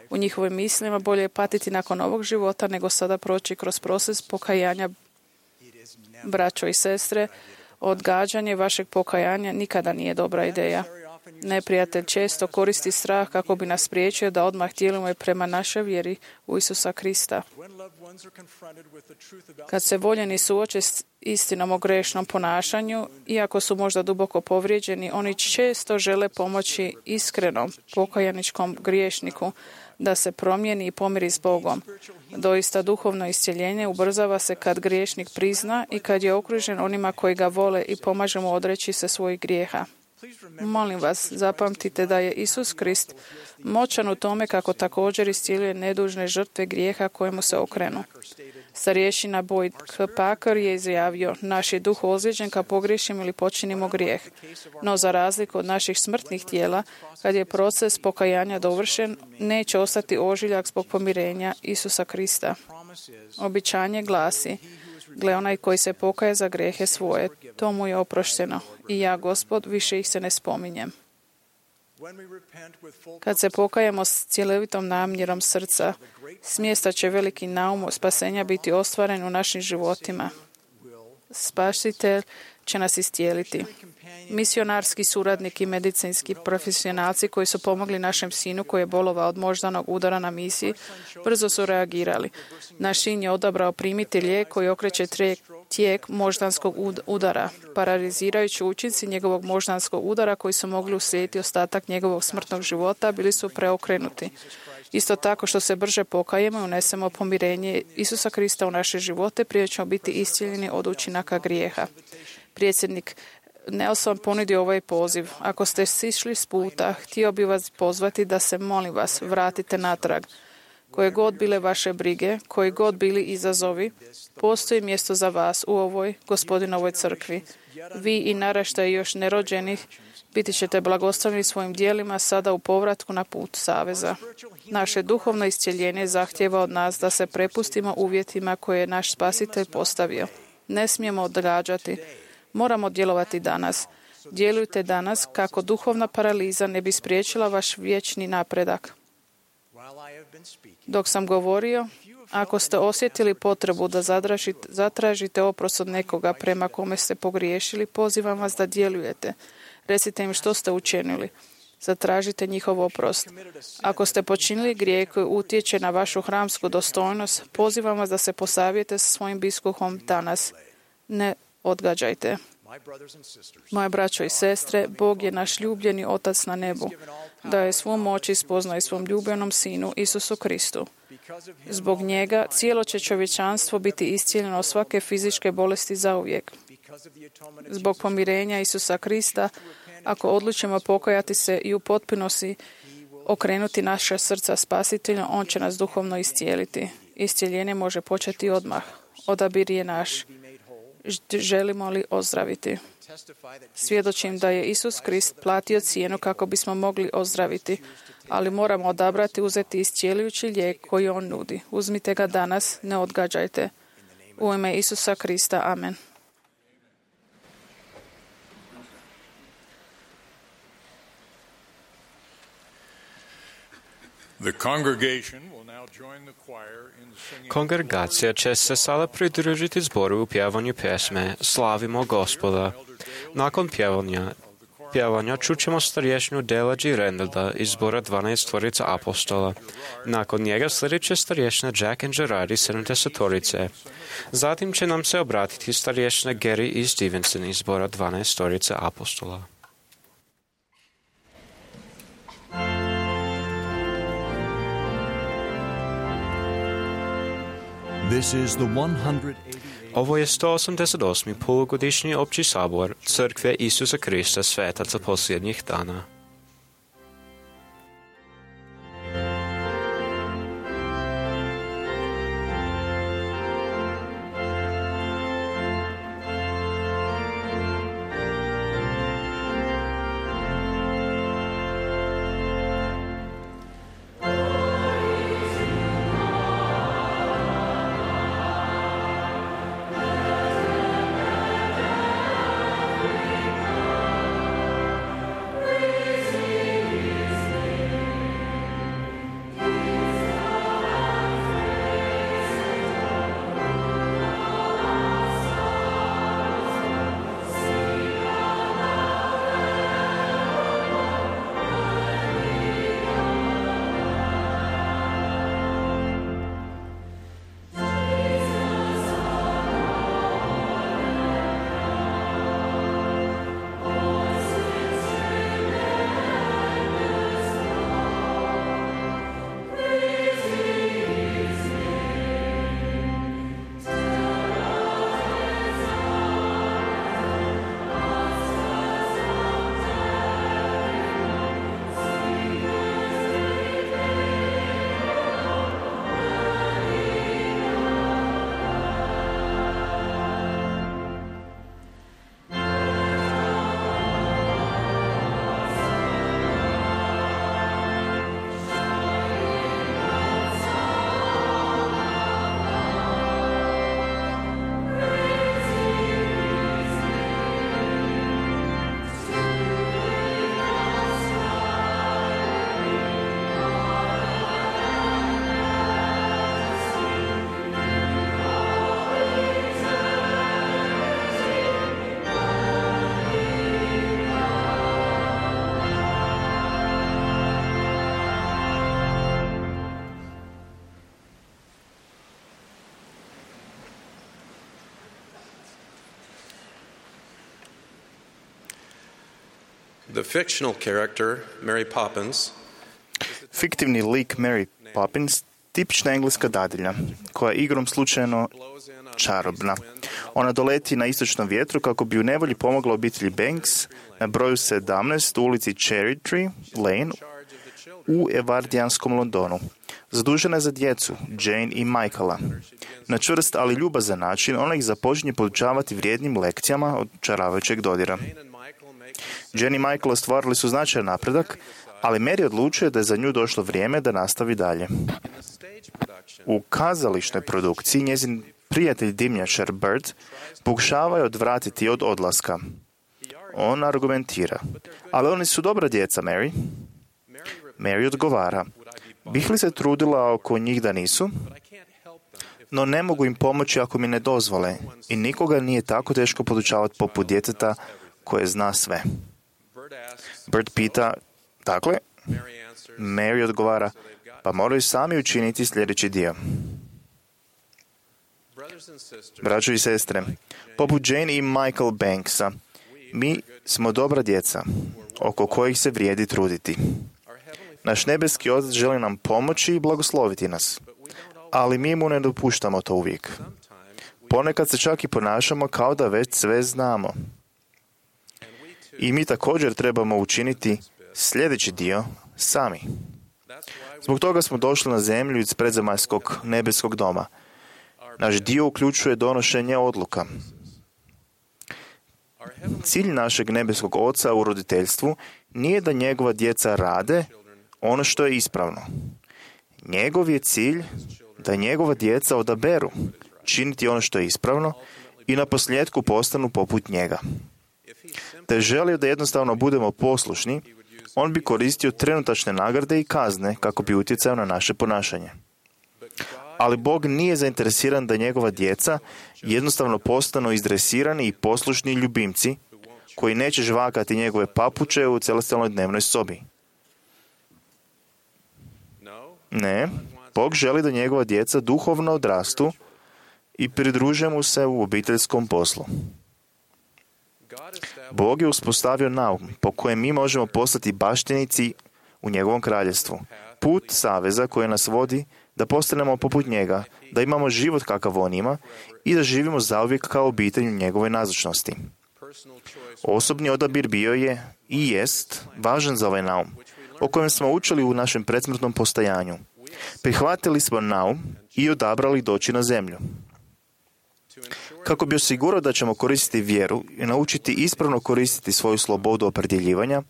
U njihovim mislima bolje je patiti nakon ovog života nego sada proći kroz proces pokajanja. Braćo i sestre, odgađanje vašeg pokajanja nikada nije dobra ideja. Neprijatelj često koristi strah kako bi nas spriječio da odmah djelujemo prema našoj vjeri u Isusa Krista. Kad se voljeni suoče s istinom o grešnom ponašanju, iako su možda duboko povrijeđeni, oni često žele pomoći iskrenom pokajaničkom griješniku da se promijeni i pomiri s Bogom. Doista duhovno iscjeljenje ubrzava se kad griješnik prizna i kad je okružen onima koji ga vole i pomaže mu odreći se svojih grijeha. Molim vas, zapamtite da je Isus Krist moćan u tome kako također iscijeljuje nedužne žrtve grijeha kojemu se okrenu. Starješina Boyd K. Packer je izjavio: naš je duh ozlijeđen kad pogriješimo ili počinimo grijeh. No za razliku od naših smrtnih tijela, kad je proces pokajanja dovršen, neće ostati ožiljak zbog pomirenja Isusa Krista. Običanje glasi: gle, onaj koji se pokaje za grijehe svoje, to mu je oprošteno. I ja, Gospod, više ih se ne spominjem. Kad se pokajemo s cjelovitom namjerom srca, smjesta će veliki naum spasenja biti ostvaren u našim životima. Spasitelj će nas iscijeliti. Misionarski suradnik i medicinski profesionalci koji su pomogli našem sinu koji je bolovao od moždanog udara na misiji, brzo su reagirali. Naš sin je odabrao primiti lijek koji okreće tijek moždanskog udara. Paralizirajući učinci njegovog moždanskog udara koji su mogli uslijediti ostatak njegovog smrtnog života bili su preokrenuti. Isto tako što se brže pokajemo i unesemo pomirenje Isusa Krista u naše živote, prije ćemo biti iscijeljeni od učinaka grijeha. Predsjednik Nelson ponudio ovaj poziv: ako ste sišli s puta, htio bi vas pozvati da se, molim vas, vratite natrag. Koje god bile vaše brige, koji god bili izazovi, postoji mjesto za vas u ovoj Gospodinovoj crkvi. Vi i naraštaji još nerođenih biti ćete blagoslovljeni svojim djelima sada u povratku na put saveza. Naše duhovno iscjeljenje zahtijeva od nas da se prepustimo uvjetima koje je naš Spasitelj postavio. Ne smijemo odgađati. Moramo djelovati danas. Djelujte danas kako duhovna paraliza ne bi spriječila vaš vječni napredak. Dok sam govorio, ako ste osjetili potrebu da zatražite oprost od nekoga prema kome ste pogriješili, pozivam vas da djelujete. Recite im što ste učinili. Zatražite njihov oprost. Ako ste počinili grijeh koji utječe na vašu hramsku dostojnost, pozivam vas da se posavijete sa svojim biskupom danas. Ne odgađajte. Moje braćo i sestre, Bog je naš ljubljeni Otac na nebu. Daje svu moć i spoznaje svom ljubljenom Sinu Isusu Kristu. Zbog njega cijelo će čovječanstvo biti iscijeljeno od svake fizičke bolesti zauvijek. Zbog pomirenja Isusa Krista, ako odlučimo pokajati se i u potpunosti okrenuti naša srca Spasitelju, on će nas duhovno iscijeliti. Iscijeljenje može početi odmah. Odabir je naš. Želimo li ozdraviti? Svjedočim da je Isus Krist platio cijenu kako bismo mogli ozdraviti, ali moramo odabrati uzeti iscijeljujući lijek koji on nudi. Uzmite ga danas, ne odgađajte. U ime Isusa Krista, amen. Kongregacija će se sada pridružiti zboru u pjevanju pjesme Slavimo Gospoda. Nakon pjevanja čućemo starješinu Dela G. Rendelda iz zbora 12 apostola. Nakon njega sljedeće starješina Jack and Gerardi 70. Zatim će nam se obratiti starješina Gary E. Stevenson iz zbora 12 apostola. Ovo je 188. polugodišnji opći sabor Crkve Isusa Krista svetaca posljednjih dana. Praise The fictional character, Mary Poppins, Fiktivni lik Mary Poppins, tipična engleska dadilja, koja je igrom slučajno čarobna. Ona doleti na istočnom vjetru kako bi u nevolji pomogla obitelji Banks na broju 17 u ulici Cherry Tree Lane u evardijanskom Londonu. Zadužena je za djecu, Jane i Michaela. Na čvrst, ali ljubazan način, ona ih započinje podučavati vrijednim lekcijama od čaravajućeg dodira. Jane i Michael ostvarili su značajan napredak, ali Mary odlučuje da je za nju došlo vrijeme da nastavi dalje. U kazališnoj produkciji njezin prijatelj dimnjačar Bird pokušava je odvratiti od odlaska. On argumentira: ali oni su dobra djeca, Mary. Mary odgovara: bih li se trudila oko njih da nisu? No ne mogu im pomoći ako mi ne dozvole i nikoga nije tako teško podučavati poput djeteta koje zna sve. Bird pita: dakle? Mary odgovara: pa moraju sami učiniti sljedeći dio. Braćo i sestre, poput Jane i Michael Banksa, mi smo dobra djeca, oko kojih se vrijedi truditi. Naš nebeski Otac želi nam pomoći i blagosloviti nas, ali mi mu ne dopuštamo to uvijek. Ponekad se čak i ponašamo kao da već sve znamo. I mi također trebamo učiniti sljedeći dio sami. Zbog toga smo došli na zemlju iz predzemaljskog nebeskog doma. Naš dio uključuje donošenje odluka. Cilj našeg nebeskog Oca u roditeljstvu nije da njegova djeca rade ono što je ispravno. Njegov je cilj da njegova djeca odaberu činiti ono što je ispravno i na posljedku postanu poput njega. Da je želio da jednostavno budemo poslušni, on bi koristio trenutačne nagrade i kazne kako bi utjecao na naše ponašanje. Ali Bog nije zainteresiran da njegova djeca jednostavno postanu izdresirani i poslušni ljubimci koji neće žvakati njegove papuče u celestijalnoj dnevnoj sobi. Ne, Bog želi da njegova djeca duhovno odrastu i pridruže mu se u obiteljskom poslu. Bog je uspostavio naum po kojem mi možemo postati baštinici u njegovom kraljevstvu. Put saveza koji nas vodi da postanemo poput njega, da imamo život kakav on ima i da živimo zauvijek kao obitelj u njegovoj nazočnosti. Osobni odabir bio je i jest važan za ovaj naum, o kojem smo učili u našem predsmrtnom postojanju. Prihvatili smo naum i odabrali doći na zemlju. Kako bi osigurao da ćemo koristiti vjeru i naučiti ispravno koristiti svoju slobodu opredjeljivanja,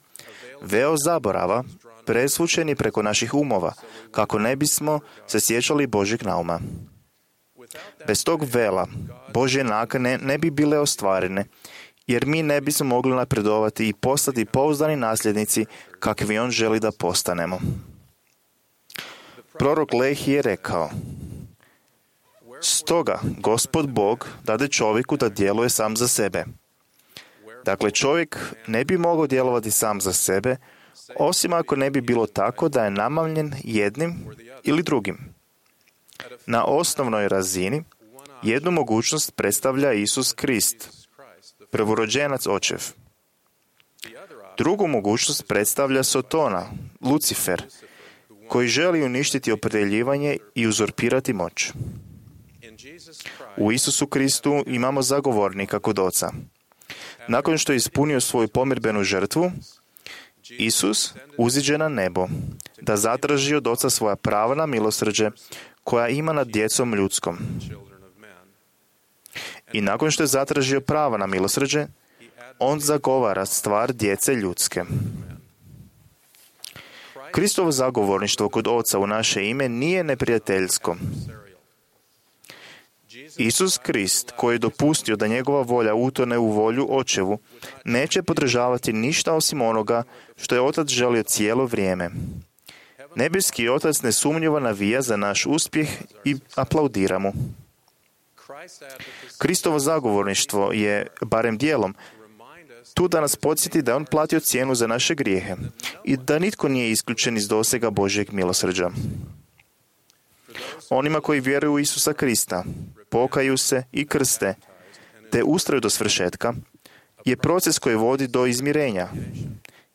veo zaborava presvučen je preko naših umova, kako ne bismo se sjećali Božjeg nauma. Bez tog vela Božje nakane ne bi bile ostvarene, jer mi ne bismo mogli napredovati i postati pouzdani nasljednici kakvi on želi da postanemo. Prorok Lehi je rekao: stoga Gospod Bog dade čovjeku da djeluje sam za sebe. Dakle, čovjek ne bi mogao djelovati sam za sebe, osim ako ne bi bilo tako da je namamljen jednim ili drugim. Na osnovnoj razini jednu mogućnost predstavlja Isus Krist, prvorođenac očev. Drugu mogućnost predstavlja Sotona, Lucifer, koji želi uništiti opredjeljivanje i uzurpirati moć. U Isusu Kristu imamo zagovornika kod Oca. Nakon što je ispunio svoju pomirbenu žrtvu, Isus uziđe na nebo da zatraži od Oca svoja prava na milosrđe koja ima nad djecom ljudskom. I nakon što je zatražio prava na milosrđe, on zagovara stvar djece ljudske. Kristovo zagovorništvo kod Oca u naše ime nije neprijateljsko. Isus Krist, koji je dopustio da njegova volja utone u volju Očevu, neće podržavati ništa osim onoga što je Otac želio cijelo vrijeme. Nebeski Otac nesumnjivo navija za naš uspjeh i aplaudira mu. Kristovo zagovorništvo je, barem dijelom, tu da nas podsjeti da je on platio cijenu za naše grijehe i da nitko nije isključen iz dosega Božjeg milosrđa. Onima koji vjeruju u Isusa Krista, pokaju se i krste, te ustraju do svršetka, je proces koji vodi do izmirenja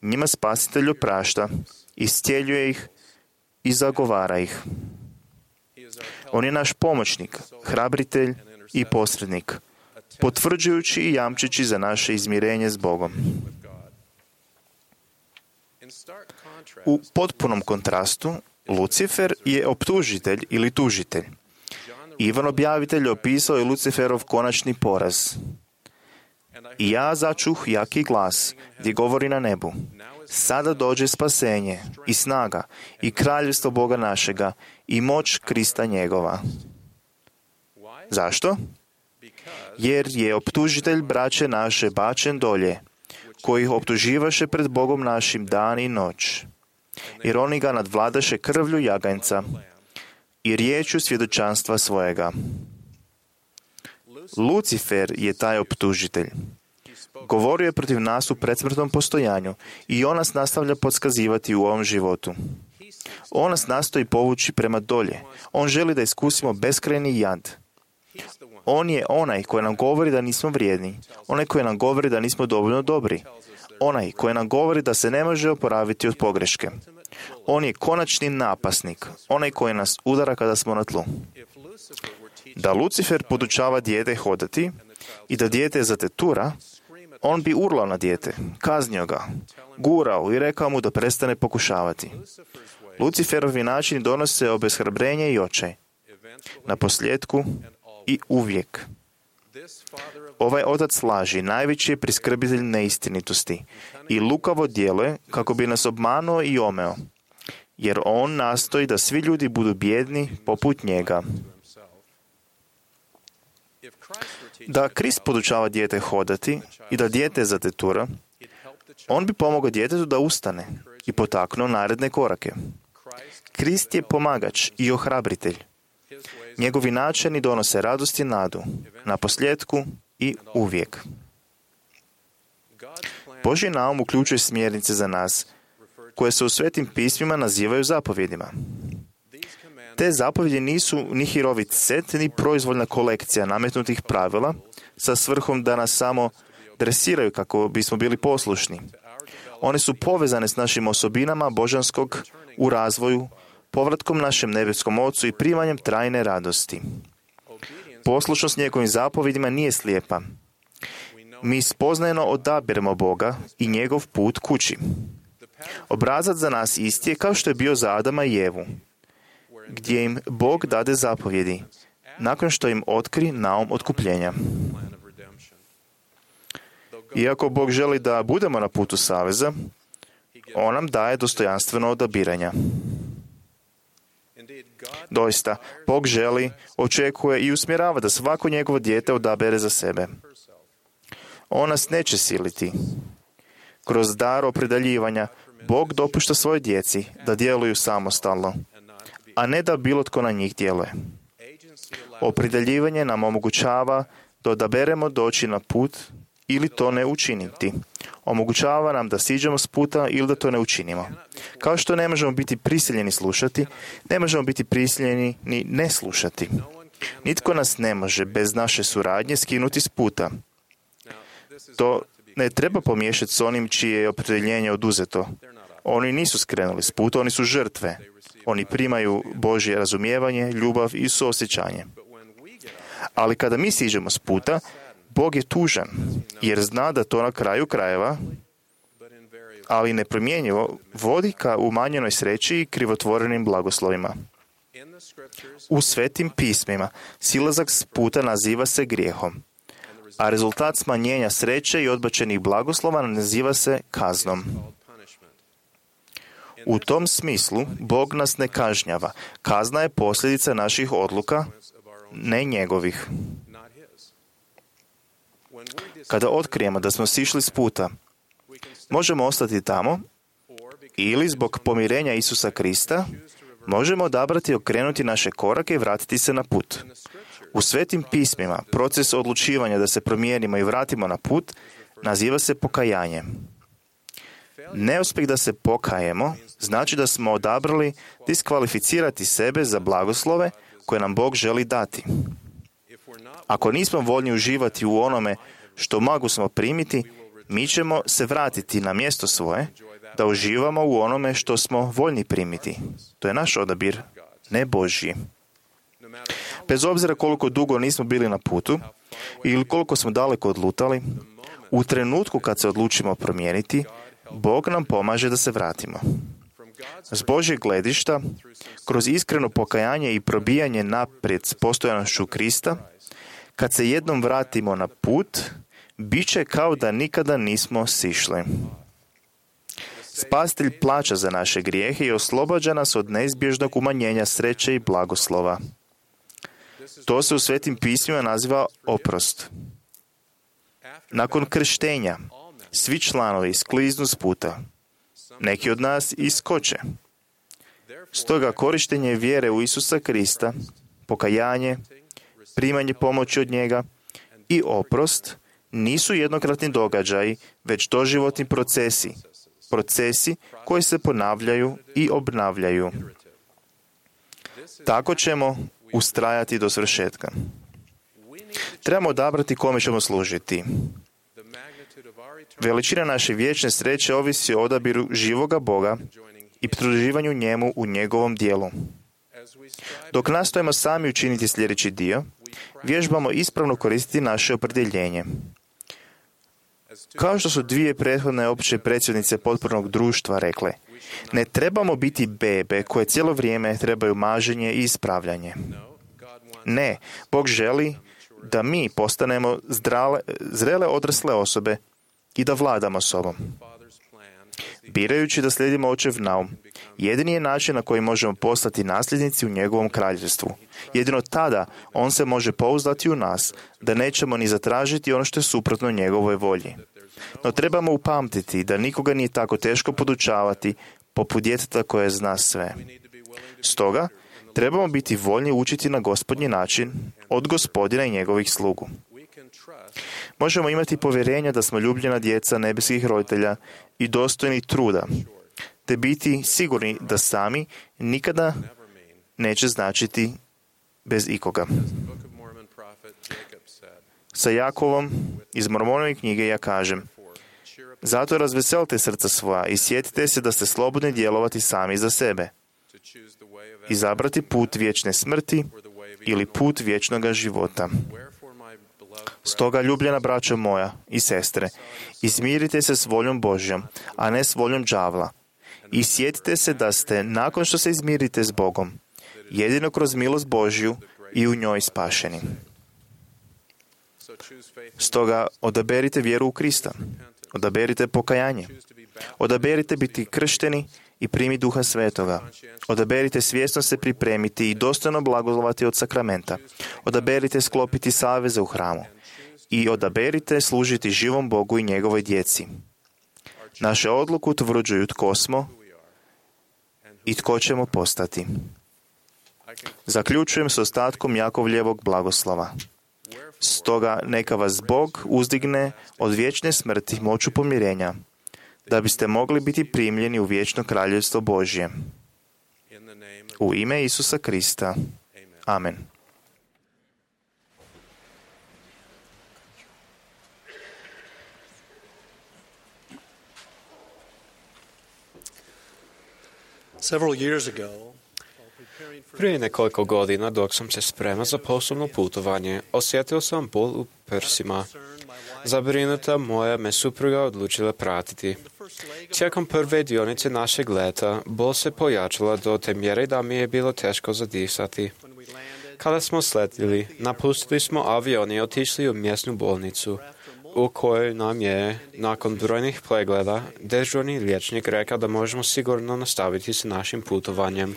Njima Spasitelj oprašta, iscijeljuje ih i zagovara ih. On je naš pomoćnik, hrabritelj i posrednik, potvrđujući i jamčeći za naše izmirenje s Bogom. U potpunom kontrastu, Lucifer je optužitelj ili tužitelj. Ivan objavitelj opisao je Luciferov konačni poraz. I ja začuh jaki glas gdje govori na nebu: sada dođe spasenje i snaga i kraljevstvo Boga našega i moć Krista njegova. Zašto? Jer je optužitelj braće naše bačen dolje, koji ih optuživaše pred Bogom našim dan i noć. Jer oni ga nadvladaše krvlju jaganjca i riječju svjedočanstva svojega. Lucifer je taj optužitelj. Govorio je protiv nas u predsmrtnom postojanju i on nas nastavlja podskazivati u ovom životu. On nas nastoji povući prema dolje. On želi da iskusimo beskrajni jad. On je onaj koji nam govori da nismo vrijedni. Onaj koji nam govori da nismo dovoljno dobri. Onaj koji nam govori da se ne može oporaviti od pogreške. On je konačni napasnik. Onaj koji nas udara kada smo na tlu. Da Lucifer podučava dijete hodati i da dijete zatetura, on bi urlao na dijete, kaznio ga, gurao i rekao mu da prestane pokušavati. Luciferovi načini donose obeshrabrenje i očaj. Na posljedku i uvijek. Ovaj otac laži najveći je priskrbitelj neistinitosti i lukavo djeluje kako bi nas obmanuo i omeo, jer on nastoji da svi ljudi budu bijedni poput njega. Da Krist podučava dijete hodati i da dijete zatetura, on bi pomogao djetetu da ustane i potaknuo naredne korake. Krist je pomagač i ohrabritelj. Njegovi načini donose radost i nadu, na posljedku i uvijek. Božji naum uključuje smjernice za nas, koje se u svetim pismima nazivaju zapovjedima. Te zapovjedi nisu ni hirovit set, ni proizvoljna kolekcija nametnutih pravila sa svrhom da nas samo dresiraju kako bismo bili poslušni. One su povezane s našim osobinama božanskog u razvoju, povratkom našem nebeskom Ocu i primanjem trajne radosti. Poslušnost njegovim zapovjedima nije slijepa. Mi spoznajno odabiremo Boga i njegov put kući. Obrazac za nas isti je kao što je bio za Adama i Evu, gdje im Bog dade zapovjedi, nakon što im otkri naum otkupljenja. Iako Bog želi da budemo na putu saveza, on nam daje dostojanstveno odabiranja. Doista, Bog želi, očekuje i usmjerava da svako njegovo dijete odabere za sebe. On nas neće siliti. Kroz dar opredeljivanja, Bog dopušta svojoj djeci da djeluju samostalno, a ne da bilo tko na njih djeluje. Opredeljivanje nam omogućava da odaberemo doći na put ili to ne učiniti. Omogućava nam da siđemo s puta ili da to ne učinimo. Kao što ne možemo biti prisiljeni slušati, ne možemo biti prisiljeni ni ne slušati. Nitko nas ne može bez naše suradnje skinuti s puta. To ne treba pomiješati s onim čije je opredjeljenje oduzeto. Oni nisu skrenuli s puta, oni su žrtve. Oni primaju Božje razumijevanje, ljubav i suosjećanje. Ali kada mi siđemo s puta, Bog je tužan, jer zna da to na kraju krajeva, ali nepromjenjivo, vodi ka umanjenoj sreći i krivotvorenim blagoslovima. U svetim pismima silazak s puta naziva se grijehom, a rezultat smanjenja sreće i odbačenih blagoslova naziva se kaznom. U tom smislu Bog nas ne kažnjava. Kazna je posljedica naših odluka, ne njegovih. Kada otkrijemo da smo sišli s puta, možemo ostati tamo ili zbog pomirenja Isusa Krista možemo odabrati okrenuti naše korake i vratiti se na put. U svetim pismima proces odlučivanja da se promijenimo i vratimo na put naziva se pokajanje. Neuspjeh da se pokajemo znači da smo odabrali diskvalificirati sebe za blagoslove koje nam Bog želi dati. Ako nismo voljni uživati u onome što mogu smo primiti, mi ćemo se vratiti na mjesto svoje da uživamo u onome što smo voljni primiti. To je naš odabir, ne Božji. Bez obzira koliko dugo nismo bili na putu ili koliko smo daleko odlutali, u trenutku kad se odlučimo promijeniti, Bog nam pomaže da se vratimo. S Božjeg gledišta, kroz iskreno pokajanje i probijanje naprijed s postojanošću Krista, kad se jednom vratimo na put, bit će kao da nikada nismo sišli. Spasitelj plaća za naše grijehe i oslobađa nas od neizbježnog umanjenja sreće i blagoslova. To se u Svetim pismima naziva oprost. Nakon krštenja, svi članovi skliznu s puta. Neki od nas iskoče. Stoga korištenje vjere u Isusa Krista, pokajanje, primanje pomoći od njega i oprost nisu jednokratni događaji, već doživotni procesi. Procesi koji se ponavljaju i obnavljaju. Tako ćemo ustrajati do svršetka. Trebamo odabrati kome ćemo služiti. Veličina naše vječne sreće ovisi o odabiru živoga Boga i pridruživanju njemu u njegovom dijelu. Dok nastojimo sami učiniti sljedeći dio, vježbamo ispravno koristiti naše opredjeljenje. Kao što su dvije prethodne opće predsjednice potpornog društva rekle, ne trebamo biti bebe koje cijelo vrijeme trebaju maženje i ispravljanje. Ne, Bog želi da mi postanemo zrele odrasle osobe i da vladamo sobom. Birajući da slijedimo očev naum, jedini je način na koji možemo postati nasljednici u njegovom kraljevstvu. Jedino tada on se može pouzdati u nas, da nećemo ni zatražiti ono što je suprotno njegovoj volji. No trebamo upamtiti da nikoga nije tako teško podučavati poput djeteta koje zna sve. Stoga, trebamo biti voljni učiti na Gospodnji način od Gospodina i njegovih slugu. Možemo imati povjerenja da smo ljubljena djeca nebeskih roditelja i dostojni truda, te biti sigurni da sami nikada neće značiti bez ikoga. Sa Jakovom iz Mormonove knjige ja kažem: zato razveselite srca svoja i sjetite se da ste slobodni djelovati sami za sebe. Izabrati put vječne smrti ili put vječnoga života. Stoga, ljubljena braćo moja i sestre, izmirite se s voljom Božjom, a ne s voljom đavla. I sjetite se da ste, nakon što se izmirite s Bogom, jedino kroz milost Božju i u njoj spašeni. Stoga, odaberite vjeru u Krista. Odaberite pokajanje. Odaberite biti kršteni i primi Duha Svetoga. Odaberite svjesno se pripremiti i dostojno blagoslovati od sakramenta. Odaberite sklopiti saveze u hramu. I odaberite služiti živom Bogu i njegovoj djeci. Naše odluku utvrđuju tko smo i tko ćemo postati. Zaključujem s ostatkom Jakovljevog blagoslova. Stoga neka vas Bog uzdigne od vječne smrti moću pomirenja, da biste mogli biti primljeni u vječno kraljevstvo Božje. U ime Isusa Krista. Amen. Prije nekoliko godina, dok sam se spremao za poslovno putovanje, osjetio sam bol u prsima. Zabrinuta moja me supruga odlučila pratiti. Tijekom prve dionice našeg leta, bol se pojačala do te mjere da mi je bilo teško zadisati. Kada smo sletili, napustili smo avion i otišli u mjesnu bolnicu, u kojoj nam je, nakon brojnih pregleda, dežurni liječnik rekao da možemo sigurno nastaviti s našim putovanjem.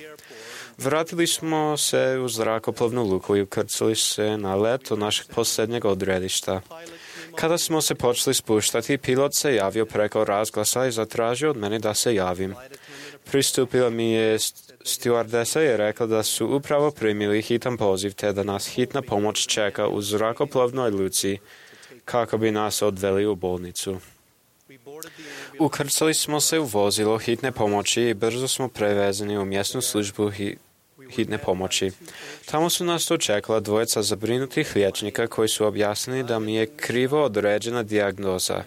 Vratili smo se u zrakoplovnu luku i ukrcali se na let od našeg posljednjeg odredišta. Kada smo se počeli spuštati, pilot se javio preko razglasa i zatražio od mene da se javim. Pristupila mi je stewardesa i rekla da su upravo primili hitan poziv te da nas hitna pomoć čeka u zrakoplovnoj luci kako bi nas odveli u bolnicu. Ukrcali smo se u vozilo hitne pomoći i brzo smo prevezeni u mjesnu službu hitne pomoći. Tamo su nas dočekala dvojica zabrinutih liječnika koji su objasnili da mi je krivo određena dijagnoza,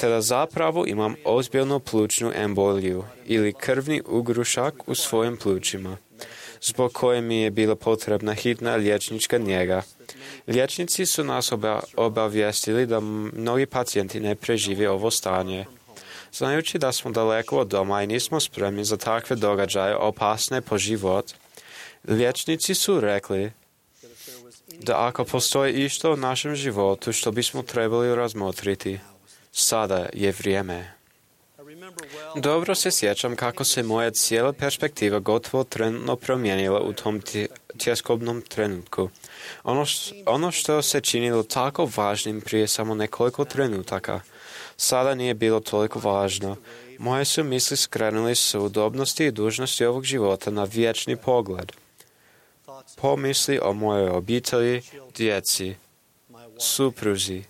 te da zapravo imam ozbiljnu plućnu emboliju ili krvni ugrušak u svojim plućima, zbog koje mi je bila potrebna hitna liječnička njega. Liječnici su nas obavijestili da mnogi pacijenti ne prežive ovo stanje. Znajući da smo daleko od doma i nismo spremni za takve događaje opasne po život, liječnici su rekli da ako postoji išto u našem životu što bismo trebali razmotriti, sada je vrijeme. Dobro se sjećam kako se moja cijela perspektiva gotovo trenutno promijenila u tom tjeskobnom trenutku. Ono što se činilo tako važnim prije samo nekoliko trenutaka, sada nije bilo toliko važno. Moje su misli skrenuli s udobnosti i dužnosti ovog života na vječni pogled. Pomisli o mojoj obitelji, djeci, supruzi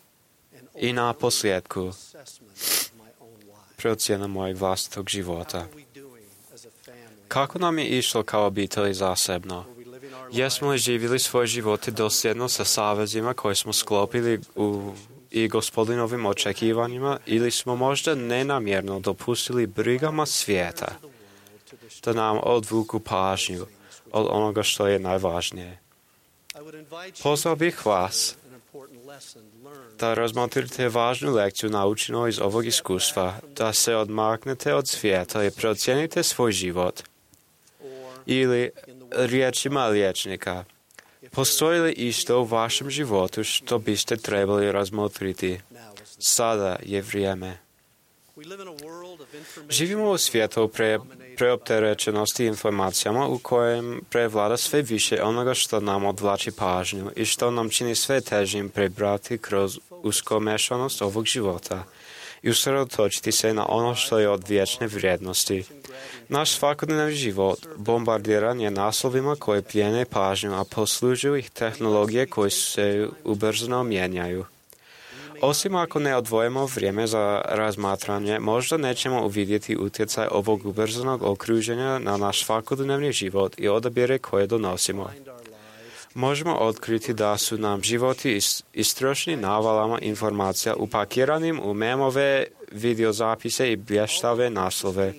i na posljedku procjena mojeg vlastitog života. Kako nam je išlo kao obitelji zasebno? Jesmo li živjeli svoje živote dosljedno sa savezima koje smo sklopili i Gospodinovim očekivanjima ili smo možda nenamjerno dopustili brigama svijeta da nam odvuku pažnju od onoga što je najvažnije? Pozvao bih vas da razmotrite važnu lekciju naučenu iz ovog iskustva, da se odmaknete od svijeta i procijenite svoj život. Ili, riječima liječnika, postoji li isto u vašem životu što biste trebali razmotriti? Sada je vrijeme. Živimo u svijetu preopterećenosti informacijama u kojem prevlada sve više onoga što nam odvlači pažnju i što nam čini sve težim prebrati kroz uskomešanost ovog života i usredotočiti se na ono što je od vječne vrijednosti. Naš svakodnevni život bombardiran je naslovima koje plijene pažnju, a poslužuju ih tehnologije koje se ubrzano mijenjaju. Osim ako ne odvojimo vrijeme za razmatranje, možda nećemo uvidjeti utjecaj ovog ubrzanog okruženja na naš svakodnevni život i odabire koje donosimo. Možemo otkriti da su nam životi istrošeni navalama informacija upakiranim u memove, videozapise i blještave naslove.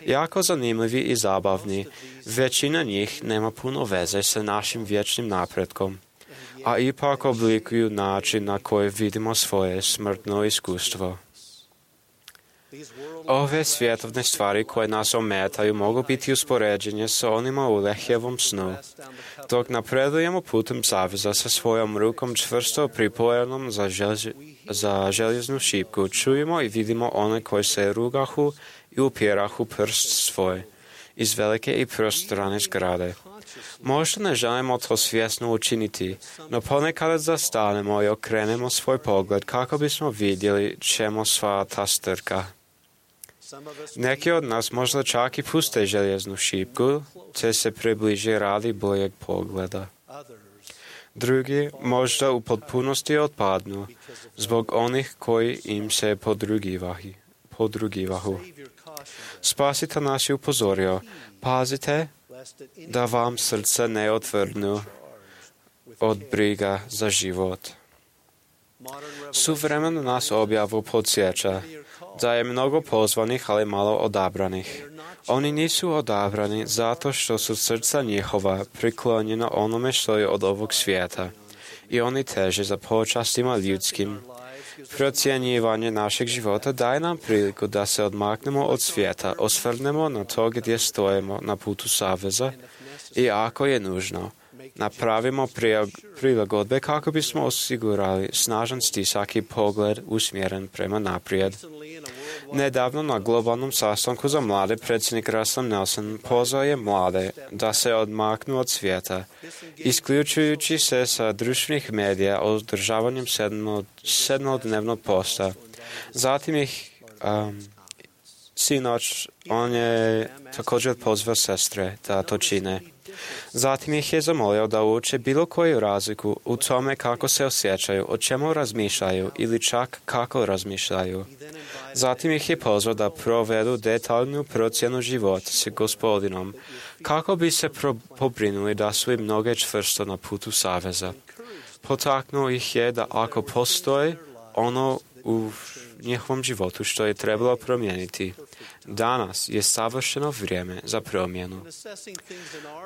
Jako zanimljivi i zabavni, većina njih nema puno veze sa našim vječnim napretkom, a ipak oblikuju način na koji vidimo svoje smrtno iskustvo. Ove svjetovne stvari koje nas ometaju mogu biti uspoređene sa onima u Lehjevom snu. Dok napredujemo putem saveza sa svojom rukom čvrsto pripojenom za željeznu šipku, čujemo i vidimo one koji se rugahu i upirahu prst svoj iz velike i prostrane zgrade. Možda ne želimo to svjesno učiniti, no ponekad zastanemo i okrenemo svoj pogled kako bismo vidjeli čemu sva ta strka. Neki od nas možda čak i puste željeznu šipku, te se približe radi boljeg pogleda. Drugi možda u potpunosti otpadnu, zbog onih koji im se podrugivahu. Spasitelj nas je upozorio, pazite da vam srce ne otvrdnu od briga za život. Suvremeno nas objavu podsjeća da je mnogo pozvanih, ali malo odabranih. Oni nisu odabrani zato što su srca njihova priklonjena onome što je od ovog svijeta i oni teže za počastima ljudskim. Procjenjivanje našeg života daje nam priliku da se odmaknemo od svijeta, osvrnemo na to gdje stojimo na putu saveza i ako je nužno, napravimo prilagodbe kako bismo osigurali snažan stisak i pogled usmjeren prema naprijed. Nedavno na globalnom sastanku za mlade predsjednik Russell Nelson pozvao je mlade da se odmaknu od svijeta, isključujući se sa društvenih medija održavanjem sedmodnevnog posta. Zatim ih sinoć on je također pozvao sestre da to čine. Zatim ih je zamolio da uče bilo koju razliku u tome kako se osjećaju, o čemu razmišljaju ili čak kako razmišljaju. Zatim ih je pozvao da provedu detaljnu procjenu života s Gospodinom, kako bi se pobrinuli da su im noge čvrsto na putu saveza. Potaknuo ih je da ako postoji ono u njihovom životu što je trebalo promijeniti. Danas je savršeno vrijeme za promjenu.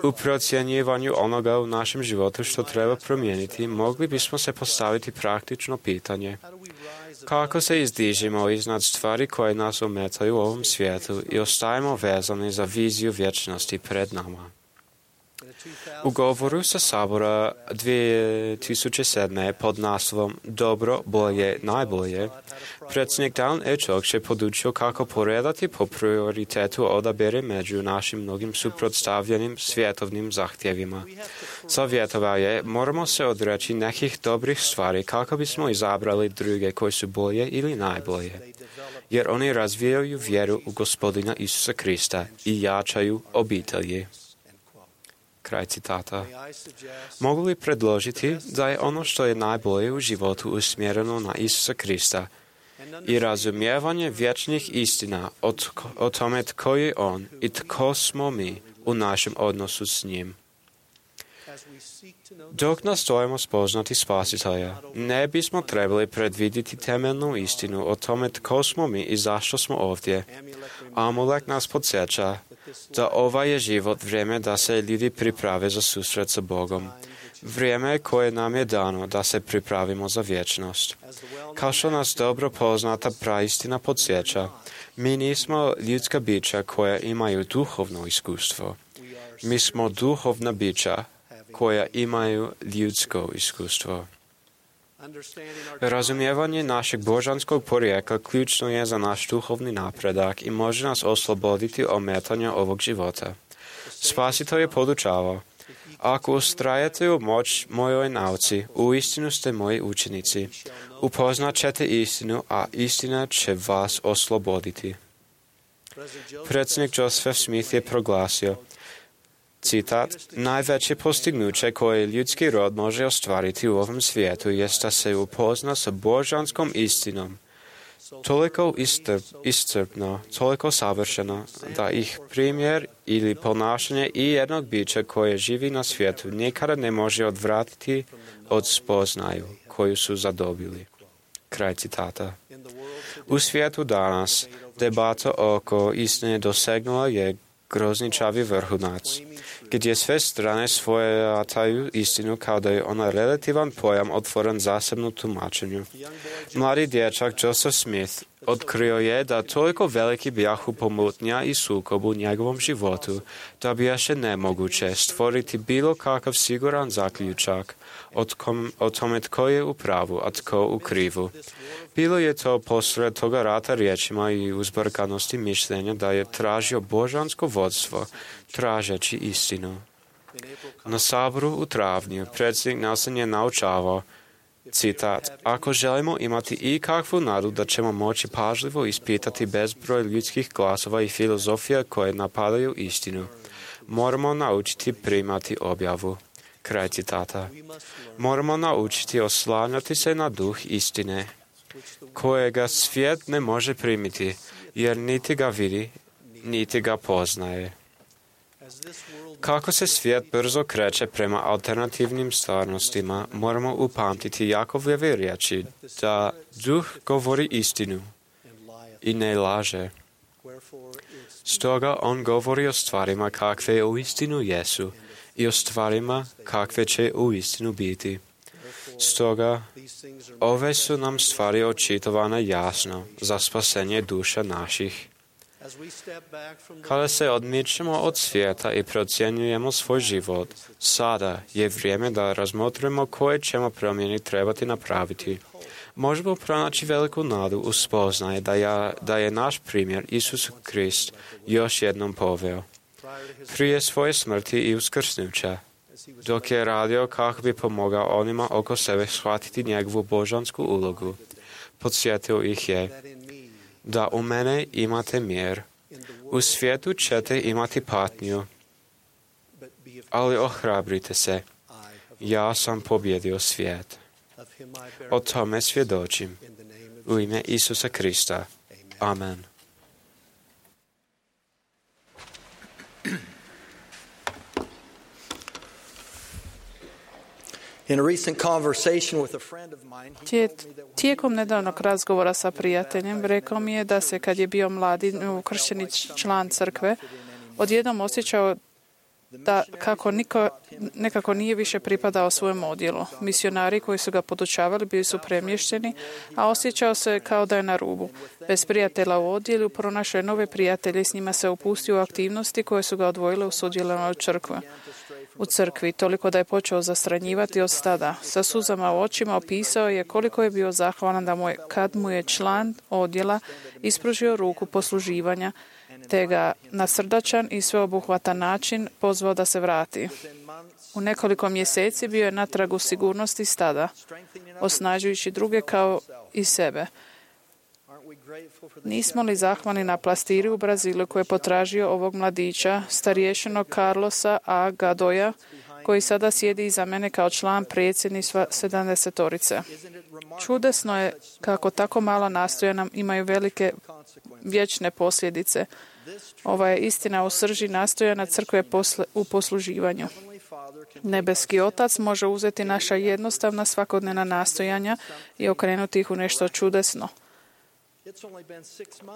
U procjenjivanju onoga u našem životu što treba promijeniti, mogli bismo se postaviti praktično pitanje. Kako se izdižimo iznad stvari koje nas ometaju u ovom svijetu i ostajemo vezani za viziju vječnosti pred nama? U govoru sa Sabora 2007. pod naslovom Dobro, bolje, najbolje, predsjednik Dan Ečok je podučio kako poredati po prioritetu odabere među našim mnogim suprotstavljenim svjetovnim zahtjevima. Savjetovao je, moramo se odreći nekih dobrih stvari kako bismo izabrali druge koje su bolje ili najbolje, jer oni razvijaju vjeru u Gospodina Isusa Krista i jačaju obitelji. Kraj citata. Mogu li predložiti da je ono što je najbolje u životu usmjereno na Isusa Krista i razumijevanje vječnih istina o tome tko je On i tko smo mi u našem odnosu s njim? Dok nastojimo spoznati Spasitelja, ne bismo trebali predvidjeti temeljnu istinu o tome tko smo mi i zašto smo ovdje. Amulek nas podsjeća da ovaj je život vrijeme da se ljudi priprave za susret sa Bogom. Vrijeme koje nam je dano da se pripravimo za vječnost. Kao što nas dobro poznata praistina podsjeća, mi nismo ljudska bića koja imaju duhovno iskustvo. Mi smo duhovna bića koja imaju ljudsko iskustvo. Razumijevanje našeg božanskog porijekla ključno je za naš duhovni napredak i može nas osloboditi ometanja ovog života. Spasitelj je podučavao, ako ustrajete u moć mojoj nauci, uistinu ste moji učenici. Upoznat ćete istinu, a istina će vas osloboditi. Predsjednik Joseph Smith je proglasio, citat, najveće postignuće koje ljudski rod može ostvariti u ovom svijetu jest da se upozna sa božanskom istinom, toliko iscrpno, toliko savršeno, da ih primjer ili ponašanje i jednog bića koje živi na svijetu nikada ne može odvratiti od spoznaju koju su zadobili. Kraj citata. U svijetu danas debata oko istine dosegnula je grozničavi vrhunac, gdje sve strane svojataju istinu kao da je ona relativan pojam otvoren zasebno tumačenju. Mladi dječak Joseph Smith otkrio je da toliko veliki bijahu pomutnja i sukob u njegovom životu, da bi još nemoguće stvoriti bilo kakav siguran zaključak o tome tko je u pravu, a tko u krivu. Bilo je to posred toga rata riječima i uzbrkanosti mišljenja da je tražio božansko vodstvo, tražeći istinu. Na Saboru u travnju predsjednik Nelson je naučavao, citat, ako želimo imati ikakvu nadu da ćemo moći pažljivo ispitati bezbroj ljudskih glasova i filozofija koje napadaju istinu, moramo naučiti primati objavu. Kraj citata. Moramo naučiti oslanjati se na duh istine, kojega svijet ne može primiti, jer niti ga vidi, niti ga poznaje. Kako se svijet brzo kreće prema alternativnim stvarnostima, moramo upamtiti Jakovljeve riječi da duh govori istinu i ne laže. Stoga on govori o stvarima kakve uistinu jesu i o stvarima kakve će uistinu biti. Stoga, ove su nam stvari očitovane jasno za spasenje duša naših. Kada se odmičemo od svijeta i procjenjujemo svoj život, sada je vrijeme da razmotrimo koje ćemo promjene trebati napraviti. Možemo pronaći veliku nadu u spoznaje da je naš primjer Isus Krist još jednom poveo. Prije svoje smrti i uskrsnuća, dok je radio kako bi pomogao onima oko sebe shvatiti njegovu božansku ulogu, podsjetio ih je da u mene imate mir. U svijetu ćete imati patnju, ali ohrabrite se. Ja sam pobjedio svijet. O tome svjedočim. U ime Isusa Krista. Amen. In a recent conversation with a friend of mine, he told me that when Tijekom nedavnog razgovora sa prijateljem rekao mi je da se kad je bio mladi ukršteni član crkve, odjednom osjećao da nekako nije više pripadao svojem odjelu. Misionari koji su ga podučavali bili su premješteni, a osjećao se kao da je na rubu. Bez prijatelja u odjelu pronašao je nove prijatelje i s njima se upustio u aktivnosti koje su ga odvojile u sudjelovanju u crkvi, toliko da je počeo zastranjivati od stada. Sa suzama u očima opisao je koliko je bio zahvalan kad mu je član odjela ispružio ruku posluživanja, te ga na srdačan i sveobuhvatan način pozvao da se vrati. U nekoliko mjeseci bio je natrag u sigurnosti stada, osnažujući druge kao i sebe. Nismo li zahvalni na pastiri u Brazilu koji je potražio ovog mladića, starješenog Carlosa A. Gadoja, koji sada sjedi iza mene kao član predsjedništva 70-torice. Čudesno je kako tako mala nastojanja imaju velike vječne posljedice. Ova je istina u srži nastojanja crkve u posluživanju. Nebeski Otac može uzeti naša jednostavna svakodnevna nastojanja i okrenuti ih u nešto čudesno.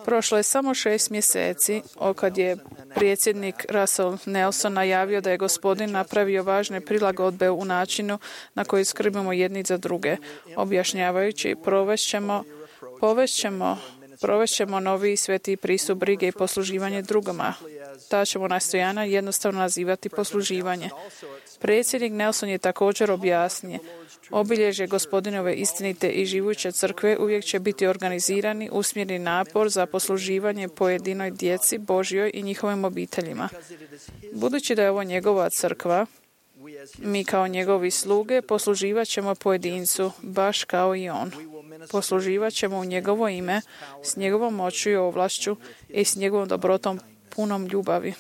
Prošlo je samo 6 mjeseci kad je predsjednik Russell Nelson najavio da je Gospodin napravio važne prilagodbe u načinu na koji skrbimo jedni za druge, objašnjavajući provešćemo novi sveti pristup brige i posluživanje drugima. Ta ćemo nastojanja jednostavno nazivati posluživanje. Predsjednik Nelson je također objasnio: obilježje Gospodinove istinite i živuće crkve uvijek će biti organizirani, usmjereni napor za posluživanje pojedinoj djeci Božjoj i njihovim obiteljima. Budući da je ovo njegova crkva, mi kao njegovi sluge posluživat ćemo pojedincu, baš kao i on. Posluživat ćemo u njegovo ime, s njegovom moću i ovlašću i s njegovom dobrotom punom ljubavi.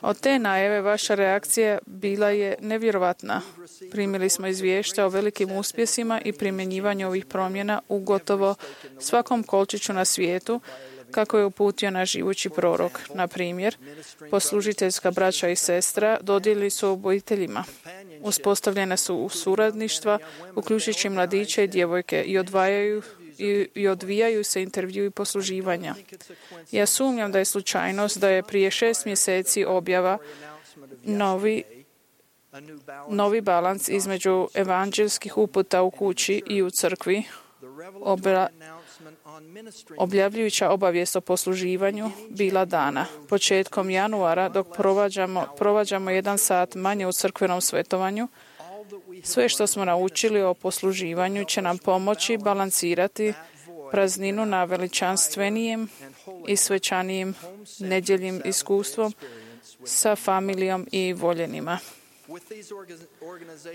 Od te najave vaša reakcija bila je nevjerovatna. Primili smo izvješća o velikim uspjesima i primjenjivanju ovih promjena u gotovo svakom kolčiću na svijetu, kako je uputio naš živući prorok. Na primjer, poslužiteljska braća i sestra dodijelili su obiteljima. Uspostavljene su suradništva, uključujući mladiće i djevojke, i odvijaju se intervjui posluživanja. Ja sumnjam da je slučajnost da je prije 6 mjeseci objava novi balans između evanđelskih uputa u kući i u crkvi, objavljujuća obavijest o posluživanju bila dana. Početkom januara, dok provađamo 1 sat manje u crkvenom svetovanju, sve što smo naučili o posluživanju će nam pomoći balansirati prazninu na veličanstvenijem i svečanijim nedjeljnim iskustvom sa familijom i voljenima.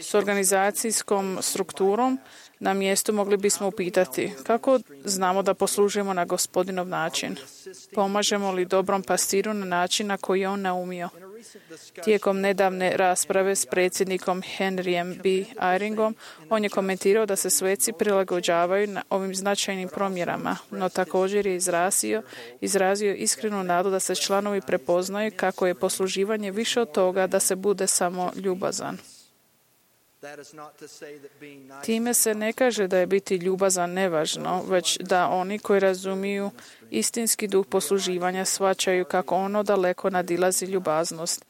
S organizacijskom strukturom na mjestu mogli bismo upitati: kako znamo da poslužujemo na Gospodinov način? Pomažemo li dobrom pastiru na način na koji je on naumio? Tijekom nedavne rasprave s predsjednikom Henryjem B. Eyringom, on je komentirao da se sveci prilagođavaju na ovim značajnim promjerama, no također je izrazio iskrenu nadu da se članovi prepoznaju kako je posluživanje više od toga da se bude samo ljubazan. Time se ne kaže da je biti ljubazan nevažno, već da oni koji razumiju istinski duh posluživanja shvaćaju kako ono daleko nadilazi ljubaznost.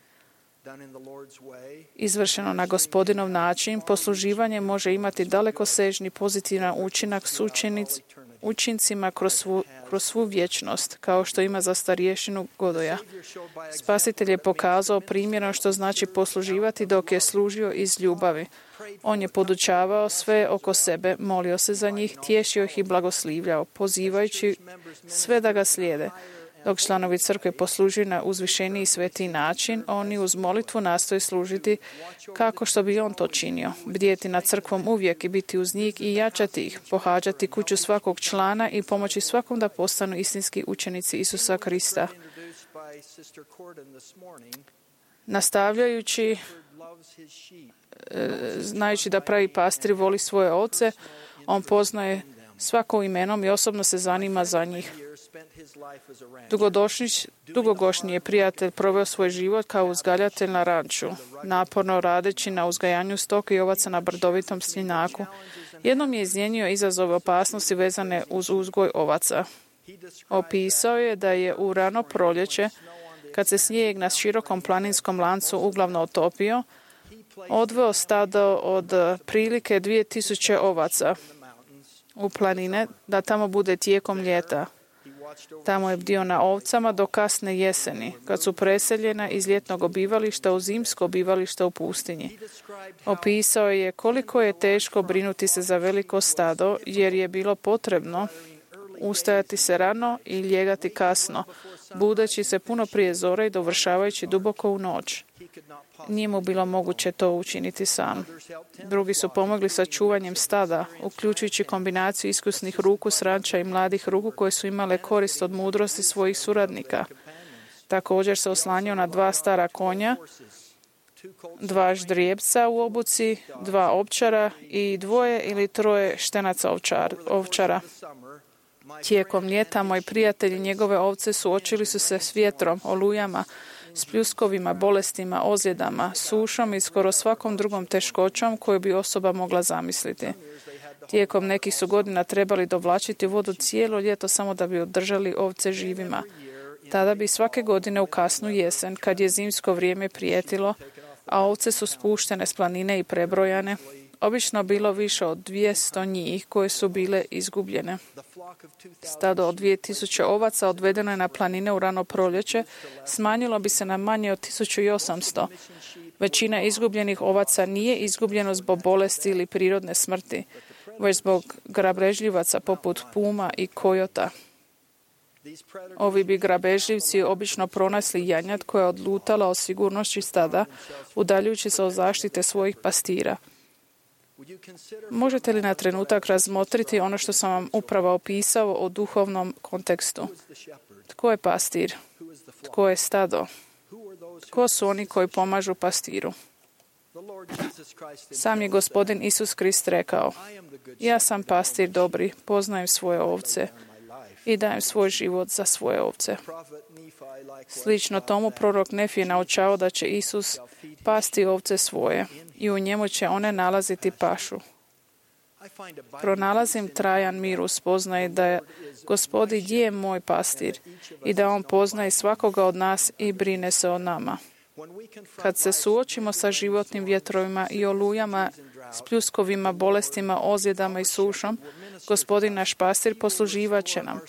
Izvršeno na Gospodinov način, posluživanje može imati dalekosežni pozitivan učinak s učincima kroz svu vječnost, kao što ima za starješinu Godoja. Spasitelj je pokazao primjerom što znači posluživati dok je služio iz ljubavi. On je podučavao sve oko sebe, molio se za njih, tješio ih i blagoslivljao, pozivajući sve da ga slijede. Dok članovi crkve poslužuju na uzvišeniji i svetiji način, oni uz molitvu nastoje služiti kako što bi on to činio. Bdjeti nad crkvom uvijek i biti uz njih i jačati ih, pohađati kuću svakog člana i pomoći svakom da postanu istinski učenici Isusa Krista. Nastavljajući, znajući da pravi pastir voli svoje ovce, on poznaje svako imenom i osobno se zanima za njih. Dugogodišnji je prijatelj proveo svoj život kao uzgajatelj na ranču, naporno radeći na uzgajanju stoke i ovaca na brdovitom stjenjaku. Jednom je iznjenio izazove opasnosti vezane uz uzgoj ovaca. Opisao je da je u rano proljeće, kad se snijeg na širokom planinskom lancu uglavnom otopio, odveo stado od prilike 2000 ovaca u planine da tamo bude tijekom ljeta. Tamo je bdio na ovcama do kasne jeseni, kad su preseljena iz ljetnog obivališta u zimsko obivalište u pustinji. Opisao je koliko je teško brinuti se za veliko stado, jer je bilo potrebno ustajati se rano i lijegati kasno, budeći se puno prije zore i dovršavajući duboko u noć. Nije mu bilo moguće to učiniti sam. Drugi su pomogli sa čuvanjem stada, uključujući kombinaciju iskusnih ruku s ranča i mladih ruku koje su imale korist od mudrosti svojih suradnika. Također se oslanjao na 2 stara konja, 2 ždrijebca u obuci, 2 ovčara i 2 ili 3 štenaca ovčara. Tijekom ljeta moji prijatelji i njegove ovce suočili su se s vjetrom, olujama, s pljuskovima, bolestima, ozljedama, sušom i skoro svakom drugom teškoćom koju bi osoba mogla zamisliti. Tijekom nekih su godina trebali dovlačiti vodu cijelo ljeto samo da bi održali ovce živima. Tada bi svake godine u kasnu jesen, kad je zimsko vrijeme prijetilo, a ovce su spuštene s planine i prebrojane, obično bilo više od 200 njih koje su bile izgubljene. Stado od 2000 ovaca odvedeno je na planine u rano proljeće, smanjilo bi se na manje od 1800. Većina izgubljenih ovaca nije izgubljeno zbog bolesti ili prirodne smrti, već zbog grabežljivaca poput puma i kojota. Ovi bi grabežljivci obično pronašli janjad koja je odlutala od sigurnosti stada, udaljujući se od zaštite svojih pastira. Možete li na trenutak razmotriti ono što sam vam upravo opisao o duhovnom kontekstu? Tko je pastir? Tko je stado? Tko su oni koji pomažu pastiru? Sam je Gospodin Isus Krist rekao: ja sam pastir dobri, poznajem svoje ovce i dajem svoj život za svoje ovce. Slično tomu prorok Nefije naučao da će Isus pasti ovce svoje i u njemu će one nalaziti pašu. Pronalazim trajan mir u spoznaji da je Gospodin je moj pastir i da on poznaje svakoga od nas i brine se o nama. Kad se suočimo sa životnim vjetrovima i olujama, s pljuskovima, bolestima, ozljedama i sušom, Gospodin naš pastir posluživat će nam.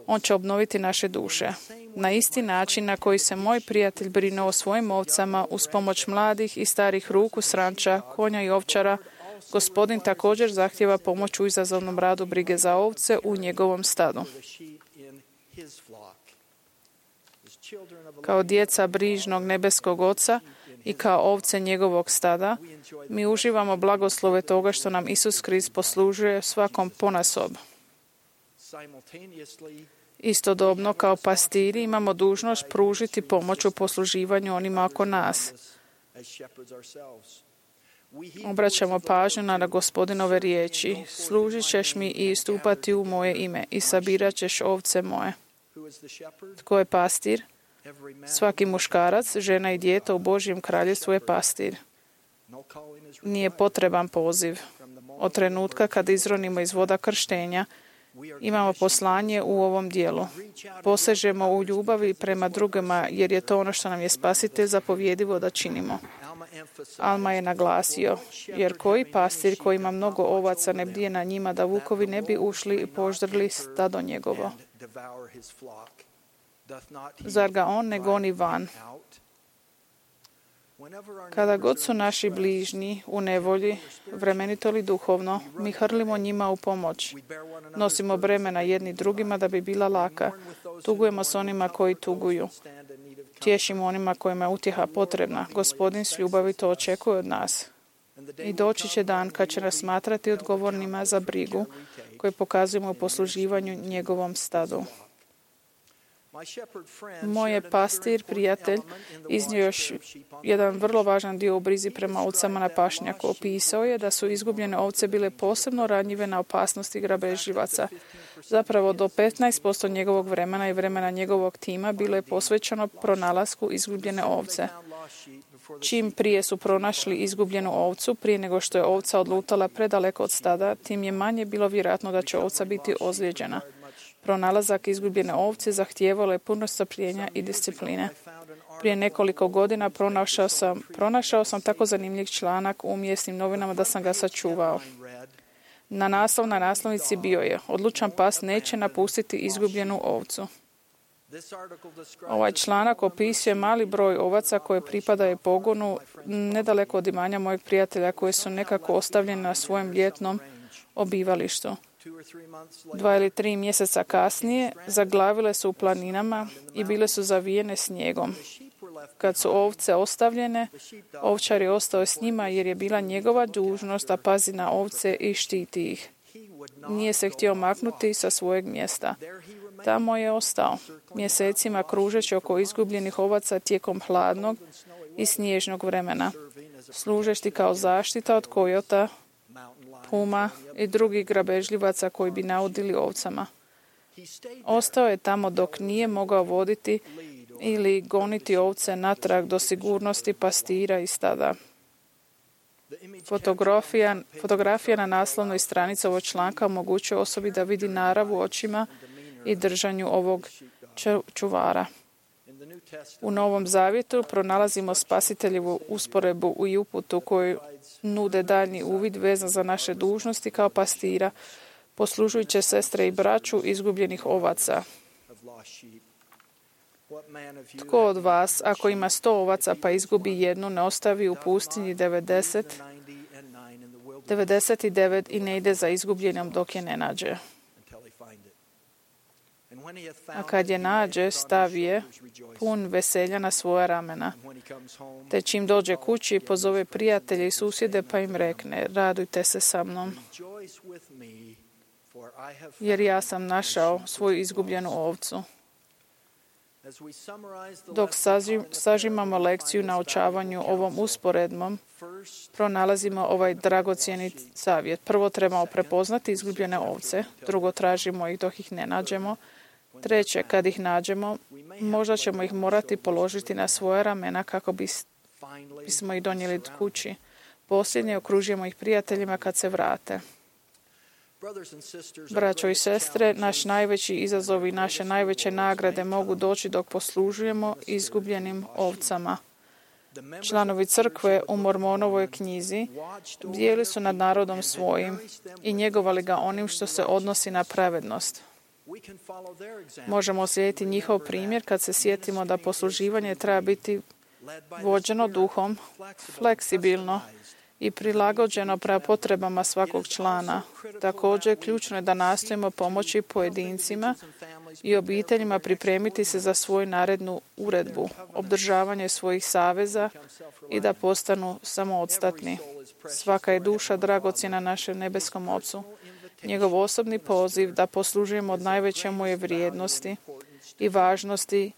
On će obnoviti naše duše. Na isti način na koji se moj prijatelj brinuo o svojim ovcama uz pomoć mladih i starih ruku s ranča, konja i ovčara, Gospodin također zahtjeva pomoć u izazovnom radu brige za ovce u njegovom stadu. Kao djeca brižnog nebeskog Oca i kao ovce njegovog stada, mi uživamo blagoslove toga što nam Isus Krist poslužuje svakom ponasob. Istodobno, kao pastiri imamo dužnost pružiti pomoć u posluživanju onima oko nas. Obraćamo pažnju na Gospodinove riječi: služit ćeš mi i istupati u moje ime i sabirat ćeš ovce moje. Tko je pastir? Svaki muškarac, žena i dijete u Božjem kraljevstvu je pastir. Nije potreban poziv. Od trenutka kad izronimo iz voda krštenja, imamo poslanje u ovom dijelu. Posežemo u ljubavi prema drugima, jer je to ono što nam je Spasitelj zapovjedivo da činimo. Alma je naglasio: jer koji pastir koji ima mnogo ovaca ne bdije na njima da vukovi ne bi ušli i poždrli stado njegovo. Zar ga on ne goni van? Kada god su naši bližnji u nevolji, vremenito li duhovno, mi hrlimo njima u pomoć. Nosimo bremena jedni drugima da bi bila laka. Tugujemo s onima koji tuguju. Tješimo onima kojima je utjeha potrebna. Gospodin s ljubavi to očekuje od nas. I doći će dan kad će nas smatrati odgovornima za brigu koju pokazujemo u posluživanju njegovom stadu. Moj je pastir, prijatelj, iznio još jedan vrlo važan dio u brizi prema ovcama na pašnjaku. Opisao je da su izgubljene ovce bile posebno ranjive na opasnosti grabežljivaca. Zapravo do 15% njegovog vremena i vremena njegovog tima bilo je posvećeno pronalasku izgubljene ovce. Čim prije su pronašli izgubljenu ovcu, prije nego što je ovca odlutala predaleko od stada, tim je manje bilo vjerojatno da će ovca biti ozlijeđena. Pronalazak izgubljene ovce zahtijevalo je puno strpljenja i discipline. Prije nekoliko godina pronašao sam tako zanimljiv članak u mjesnim novinama da sam ga sačuvao. Na naslovnici bio je: odlučan pas neće napustiti izgubljenu ovcu. Ovaj članak opisuje mali broj ovaca koje pripadaju pogonu nedaleko od imanja mojeg prijatelja, koje su nekako ostavljene na svojem ljetnom obivalištu. 2 ili 3 mjeseca kasnije zaglavile su u planinama i bile su zavijene snijegom. Kad su ovce ostavljene, ovčar je ostao s njima jer je bila njegova dužnost da pazi na ovce i štiti ih. Nije se htio maknuti sa svojeg mjesta. Tamo je ostao, mjesecima kružeći oko izgubljenih ovaca tijekom hladnog i snježnog vremena, služeći kao zaštita od kojota, puma i drugih grabežljivaca koji bi naudili ovcama. Ostao je tamo dok nije mogao voditi ili goniti ovce natrag do sigurnosti pastira i stada. Fotografija na naslovnoj stranici ovog članka omogućuje osobi da vidi narav u očima i držanju ovog čuvara. U Novom Zavjetu pronalazimo Spasiteljevu usporedbu i uputu koju nude daljnji uvid vezan za naše dužnosti kao pastira, poslužujući sestre i braću izgubljenih ovaca. Tko od vas, ako ima 100 ovaca pa izgubi jednu, ne ostavi u pustinji 99 i ne ide za izgubljenom dok je ne nađe? A kad je nađe, stavi je pun veselja na svoja ramena. Te čim dođe kući, pozove prijatelje i susjede pa im rekne: radujte se sa mnom, jer ja sam našao svoju izgubljenu ovcu. Dok sažimamo lekciju naučavanju ovom usporedbom, pronalazimo ovaj dragocjeni savjet. Prvo trebamo prepoznati izgubljene ovce, drugo tražimo ih dok ih ne nađemo, treće, kad ih nađemo, možda ćemo ih morati položiti na svoja ramena kako bismo ih donijeli kući. Posljednje, okružujemo ih prijateljima kad se vrate. Braćo i sestre, naš najveći izazov i naše najveće nagrade mogu doći dok poslužujemo izgubljenim ovcama. Članovi crkve u Mormonovoj knjizi bdjeli su nad narodom svojim i njegovali ga onim što se odnosi na pravednost. Možemo slijediti njihov primjer kad se sjetimo da posluživanje treba biti vođeno duhom, fleksibilno i prilagođeno prema potrebama svakog člana. Također, ključno je da nastojimo pomoći pojedincima i obiteljima pripremiti se za svoju narednu uredbu, obdržavanje svojih saveza i da postanu samoostatni. Svaka je duša dragocjena našem nebeskom Ocu. Njegov osobni poziv da poslužujemo od najveće moje vrijednosti i važnosti,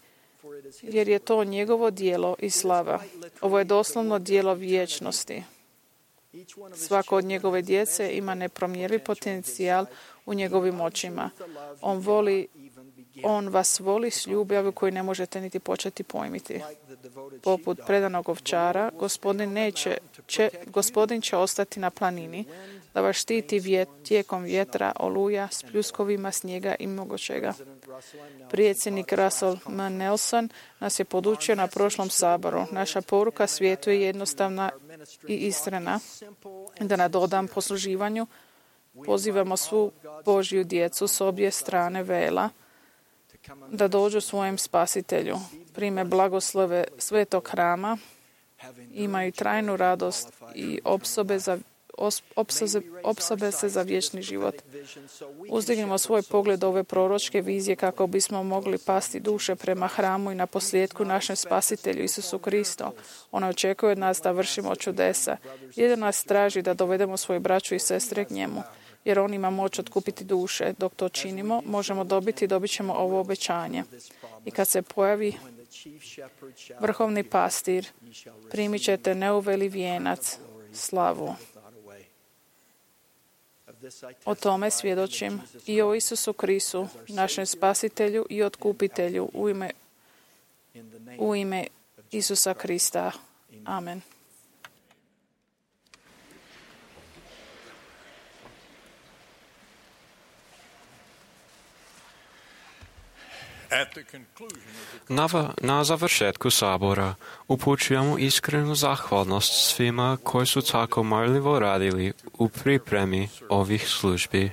jer je to njegovo djelo i slava. Ovo je doslovno djelo vječnosti. Svako od njegove djece ima nepromjerljiv potencijal u njegovim očima. On vas voli s ljubavlju koju ne možete niti početi pojmiti. Poput predanog ovčara, Gospodin će ostati na planini da vas štiti tijekom vjetra, oluja, s pljuskovima, snijega i mnogo čega. Predsjednik Russell M. Nelson nas je podučio na prošlom saboru. Naša poruka svijetu je jednostavna i iskrena. Da nadodam posluživanju, pozivamo svu Božju djecu s obje strane vela da dođu svojem Spasitelju, prime blagoslove svetog hrama, imaju trajnu radost i opsobe se za vječni život. Uzdignimo svoj pogled ove proročke vizije kako bismo mogli pasti duše prema hramu i na posljedku našem Spasitelju Isusu Kristu. Ona očekuje od nas da vršimo čudesa. Jedino nas traži da dovedemo svoje braću i sestre k njemu. jer on ima moć otkupiti duše. Dok to činimo, možemo dobit ćemo ovo obećanje. I kad se pojavi vrhovni pastir, primit ćete neuveli vijenac, slavu. O tome svjedočim i o Isusu Kristu, našem spasitelju i otkupitelju, u ime Isusa Krista. Amen. Na završetku sabora upućujemo iskrenu zahvalnost svima koji su tako marljivo radili u pripremi ovih službi.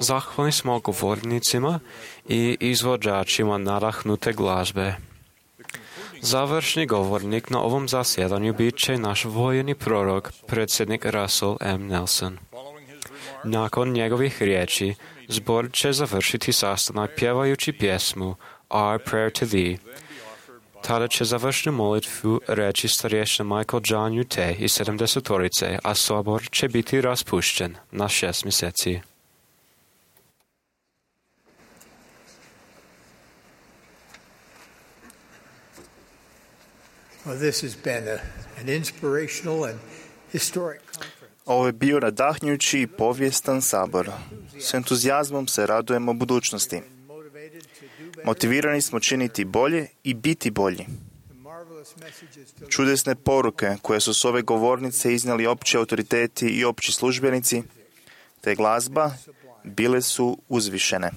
Zahvalni smo govornicima i izvođačima nadahnute glazbe. Završni govornik na ovom zasjedanju bit će naš vojni prorok, predsjednik Russell M. Nelson. Nakon njegovih riječi, zbor će završiti sastanak pjevajući pjesmu Our Prayer to Thee. Tada će završnu molitvu reći starješina Michael John Ute i 70-torice, a sabor će biti raspušten na 6 mjeseci. Ovo je bio nadahnjući i povijestan sabor. S entuzijazmom se radujemo budućnosti. Motivirani smo činiti bolje i biti bolji. Čudesne poruke koje su s ove govornice iznijeli opći autoriteti i opći službenici, te glazba, bile su uzvišene.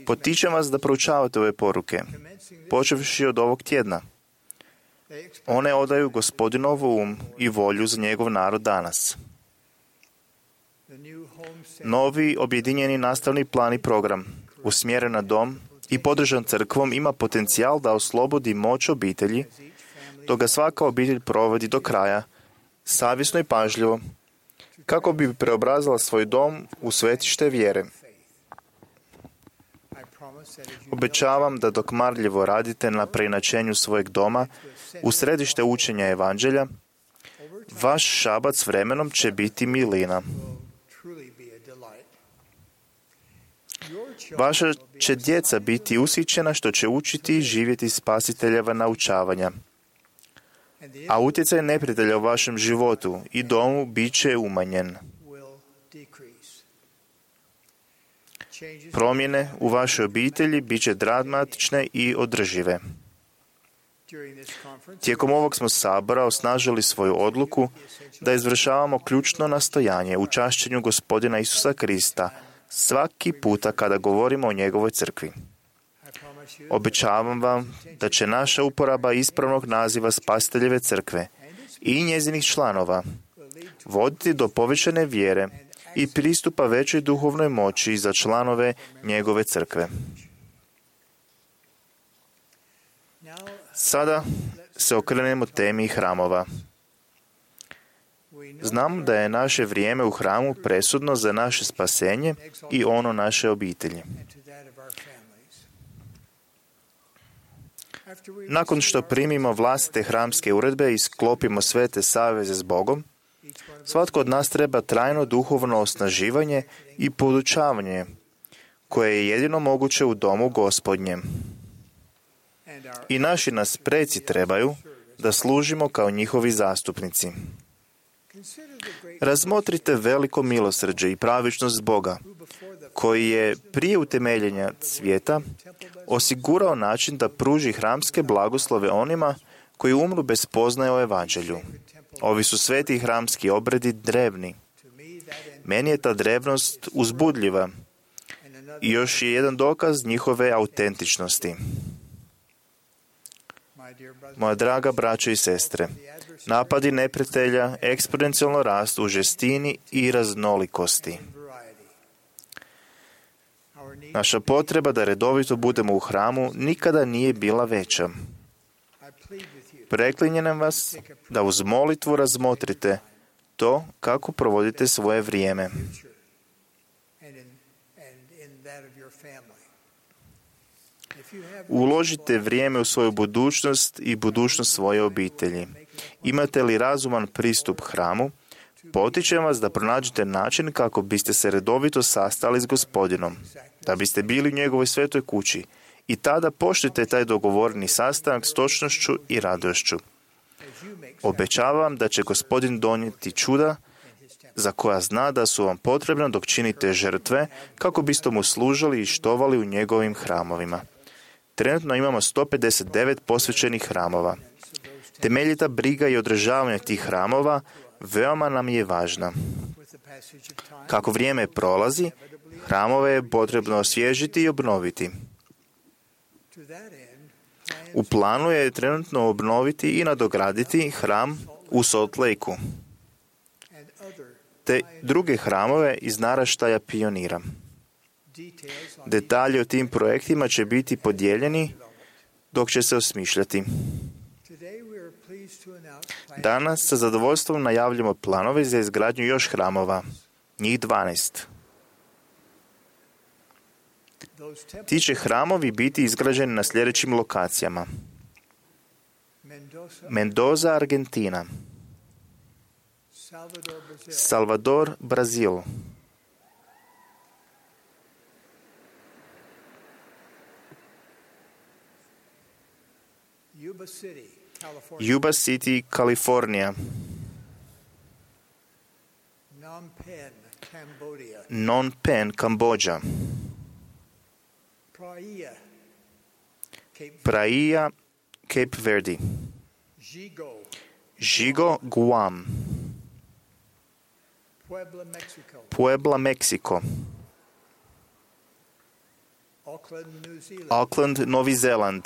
Potičem vas da proučavate ove poruke, počevši od ovog tjedna. One odaju Gospodinovu i volju za njegov narod danas. Novi objedinjeni nastavni plan i program, usmjeren na dom i podržan crkvom, ima potencijal da oslobodi moć obitelji, dok ga svaka obitelj provodi do kraja, savjesno i pažljivo, kako bi preobrazila svoj dom u svetište vjere. Obećavam da dok marljivo radite na preinačenju svojeg doma u središte učenja evanđelja, vaš šabac s vremenom će biti milina. Vaša će djeca biti ushićena što će učiti i živjeti spasiteljeva naučavanja. A utjecaj neprijatelja u vašem životu i domu bit će umanjen. Promjene u vašoj obitelji bit će dramatične i održive. Tijekom ovog smo sabora osnažili svoju odluku da izvršavamo ključno nastojanje u čašćenju Gospodina Isusa Krista svaki puta kada govorimo o njegovoj crkvi. Obećavam vam da će naša uporaba ispravnog naziva Spasiteljeve crkve i njezinih članova voditi do povećane vjere i pristupa većoj duhovnoj moći za članove njegove crkve. Sada se okrenemo temi hramova. Znam da je naše vrijeme u hramu presudno za naše spasenje i ono naše obitelji. Nakon što primimo vlastite hramske uredbe i sklopimo svete saveze s Bogom, svatko od nas treba trajno duhovno osnaživanje i podučavanje, koje je jedino moguće u domu Gospodnjem. I naši nas preci trebaju da služimo kao njihovi zastupnici. Razmotrite veliko milosrđe i pravičnost Boga, koji je prije utemeljenja svijeta osigurao način da pruži hramske blagoslove onima koji umru bez spoznaje o evanđelju. Ovi su sveti hramski obredi drevni. Meni je ta drevnost uzbudljiva i još je jedan dokaz njihove autentičnosti. Moja draga braćo i sestre, napadi neprijatelja eksponencijalno rastu u žestini i raznolikosti. Naša potreba da redovito budemo u hramu nikada nije bila veća. Preklinjem vas da uz molitvu razmotrite to kako provodite svoje vrijeme. Uložite vrijeme u svoju budućnost i budućnost svoje obitelji. Imate li razuman pristup hramu, Potičem vas da pronađete način kako biste se redovito sastali s Gospodinom, da biste bili u njegovoj svetoj kući i tada poštujte taj dogovoreni sastanak s točnošću i radošću. Obećavam da će Gospodin donijeti čuda za koja zna da su vam potrebna dok činite žrtve kako biste mu služili i štovali u njegovim hramovima. Trenutno imamo 159 posvećenih hramova. Temeljita briga i održavanje tih hramova veoma nam je važna. Kako vrijeme prolazi, hramove je potrebno osvježiti i obnoviti. U planu je trenutno obnoviti i nadograditi hram u Salt Lakeu te druge hramove iz naraštaja pionira. Detalji o tim projektima će biti podijeljeni dok će se osmišljati. Danas sa zadovoljstvom najavljamo planove za izgradnju još hramova, njih 12. Ti će hramovi biti izgrađeni na sljedećim lokacijama: Mendoza, Argentina; Salvador, Brazil; Yuba City, Kalifornija; Phnom Penh, Kambodža; Praia, Cape Verde; Žigo, Guam; Puebla, Meksiko; Auckland, Novi Zeland;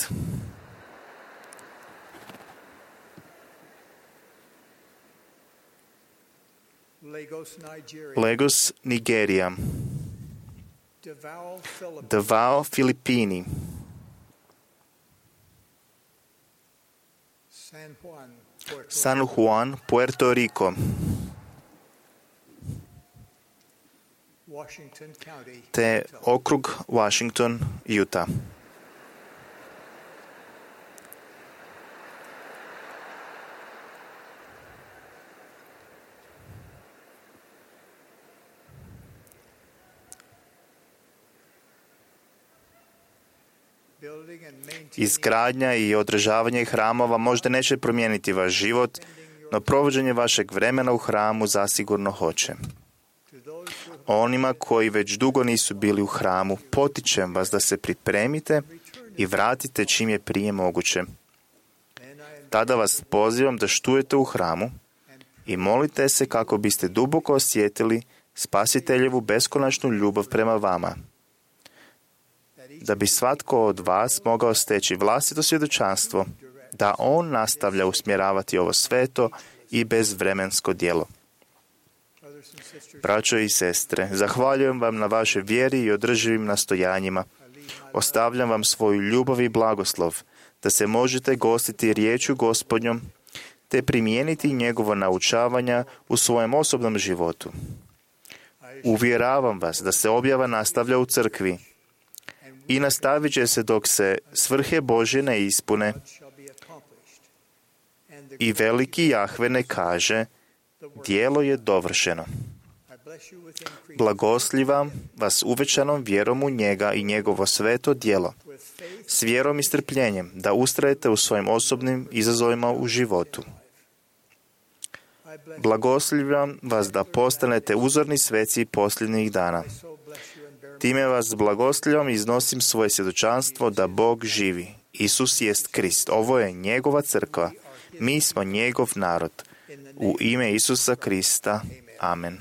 Lagos, Nigerija; Davao, Filipini; San Juan, Puerto Rico; te okrug Washington, Utah. Izgradnja i održavanje hramova možda neće promijeniti vaš život, no provođenje vašeg vremena u hramu zasigurno hoće. Onima koji već dugo nisu bili u hramu, potičem vas da se pripremite i vratite čim je prije moguće. Tada vas pozivam da štujete u hramu i molite se kako biste duboko osjetili Spasiteljevu beskonačnu ljubav prema vama, da bi svatko od vas mogao steći vlastito svjedočanstvo da on nastavlja usmjeravati ovo sveto i bezvremensko djelo. Braćo i sestre, zahvaljujem vam na vašoj vjeri i održivim nastojanjima. Ostavljam vam svoju ljubav i blagoslov, da se možete gostiti riječju Gospodnjom, te primijeniti njegovo naučavanja u svojem osobnom životu. Uvjeravam vas da se objava nastavlja u crkvi i nastavit će se dok se svrhe Božje ne ispune i veliki Jahve ne kaže: djelo je dovršeno. Blagoslivam vas uvećanom vjerom u njega i njegovo sveto djelo, s vjerom i strpljenjem da ustrajete u svojim osobnim izazovima u životu. Blagoslivam vas da postanete uzorni sveci posljednjih dana. Time vas blagoslivam i iznosim svoje svjedočanstvo da Bog živi. Isus jest Krist. Ovo je njegova crkva. Mi smo njegov narod. U ime Isusa Krista. Amen.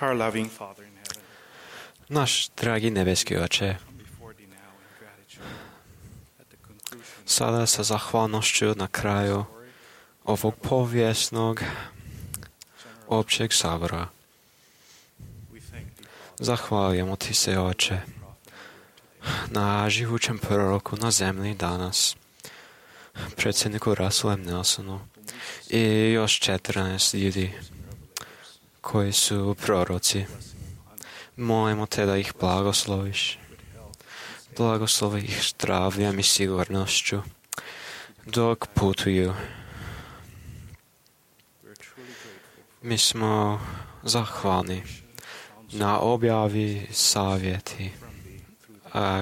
Our loving Father in heaven, Naš dragi nebeski Oče, come before thee now in gratitude at the conclusion sada sa zahvalnošću na kraju ovog povijesnog općeg sabora. we thank thee, Father, Zahvaljujemo ti se, Oče, na živućem proroku na zemlji danas, predsjedniku Russellu M. Nelsonu i još 14 ljudi koji su proroci. Molimo te da ih blagosloviš. Blagoslovi ih zdravljem i sigurnošću dok putuju. Mi smo zahvalni na objavi savjeti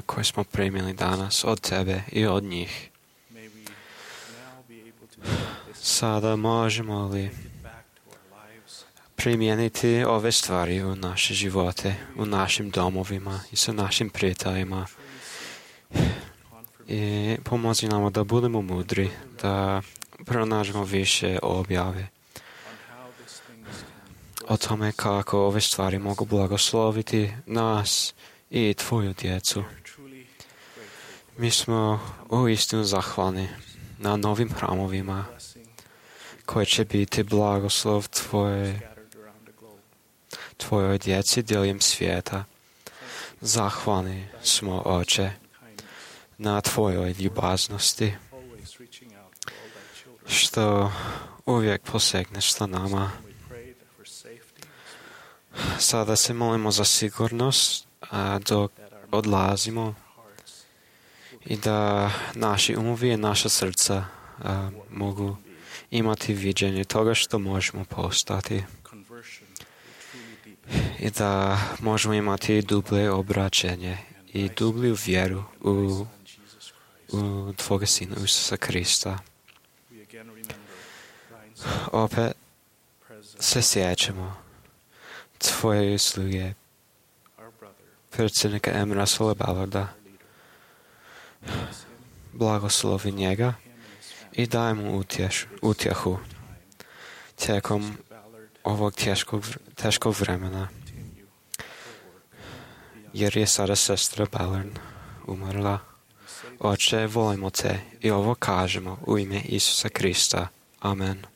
koje smo primili danas od tebe i od njih. may we now be able to take this Sada možemo li back to our lives primijeniti ove stvari u naše živote, u našim domovima i sa našim prijateljima. I pomozi nam da budemo mudri, da pronađemo više objave on how these things can o tome kako ove stvari mogu blagosloviti nas i tvoju djecu. truly Mi smo uistinu zahvalni na novim hramovima blessing koje će biti blagoslov scattered around the globe. tvojoj djeci diljem svijeta. Zahvalni smo, Oče, na tvojoj ljubaznosti, Always reaching out to all thy children. što uvijek posegneš sa nama. We pray that for safety Sada se molimo za sigurnost dok odlazimo hearts i da naši umovi i naša srca mogu imati viđenje toga što možemo postati conversion will truly deepen. i da možemo imati dublje obraćenje i dublju vjeru u Tvoga Sina Isusa Krista. We again remember Ryan's Opet presence, se sjećamo Tvoje usluge, our brother, predsjednika M. Russella Ballarda. our leader. Bless him, Blagoslovi njega him and his family. i daj mu utjehu tijekom Mr. Ballard, ovog teškog vremena, continue forward beyond jer je sada sestra Ballard umrla. Oče, volimo te i ovo kažemo u ime Isusa Krista. Amen.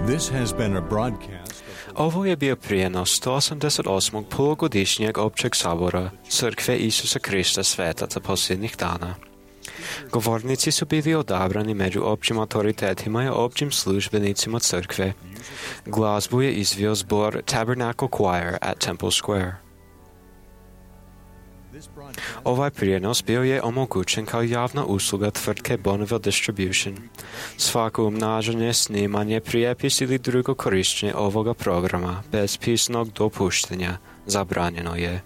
This has been a broadcast of Ovo je bio prijenos 188. polugodišnjeg općeg sabora Crkve Isusa Krista Svetaca posljednjih dana. Govornici su bili odabrani među općim autoritetima i općim službenicima crkve. Glazbu je izveo zbor Tabernacle Choir at Temple Square. this broadcast. Ovaj prijenos bio je omogućen kao javna usluga tvrtke Bonneville Distribution. Svako umnažanje, snimanje, prijepis ili drugo korištenje ovoga programa bez pisnog dopuštenja zabranjeno je.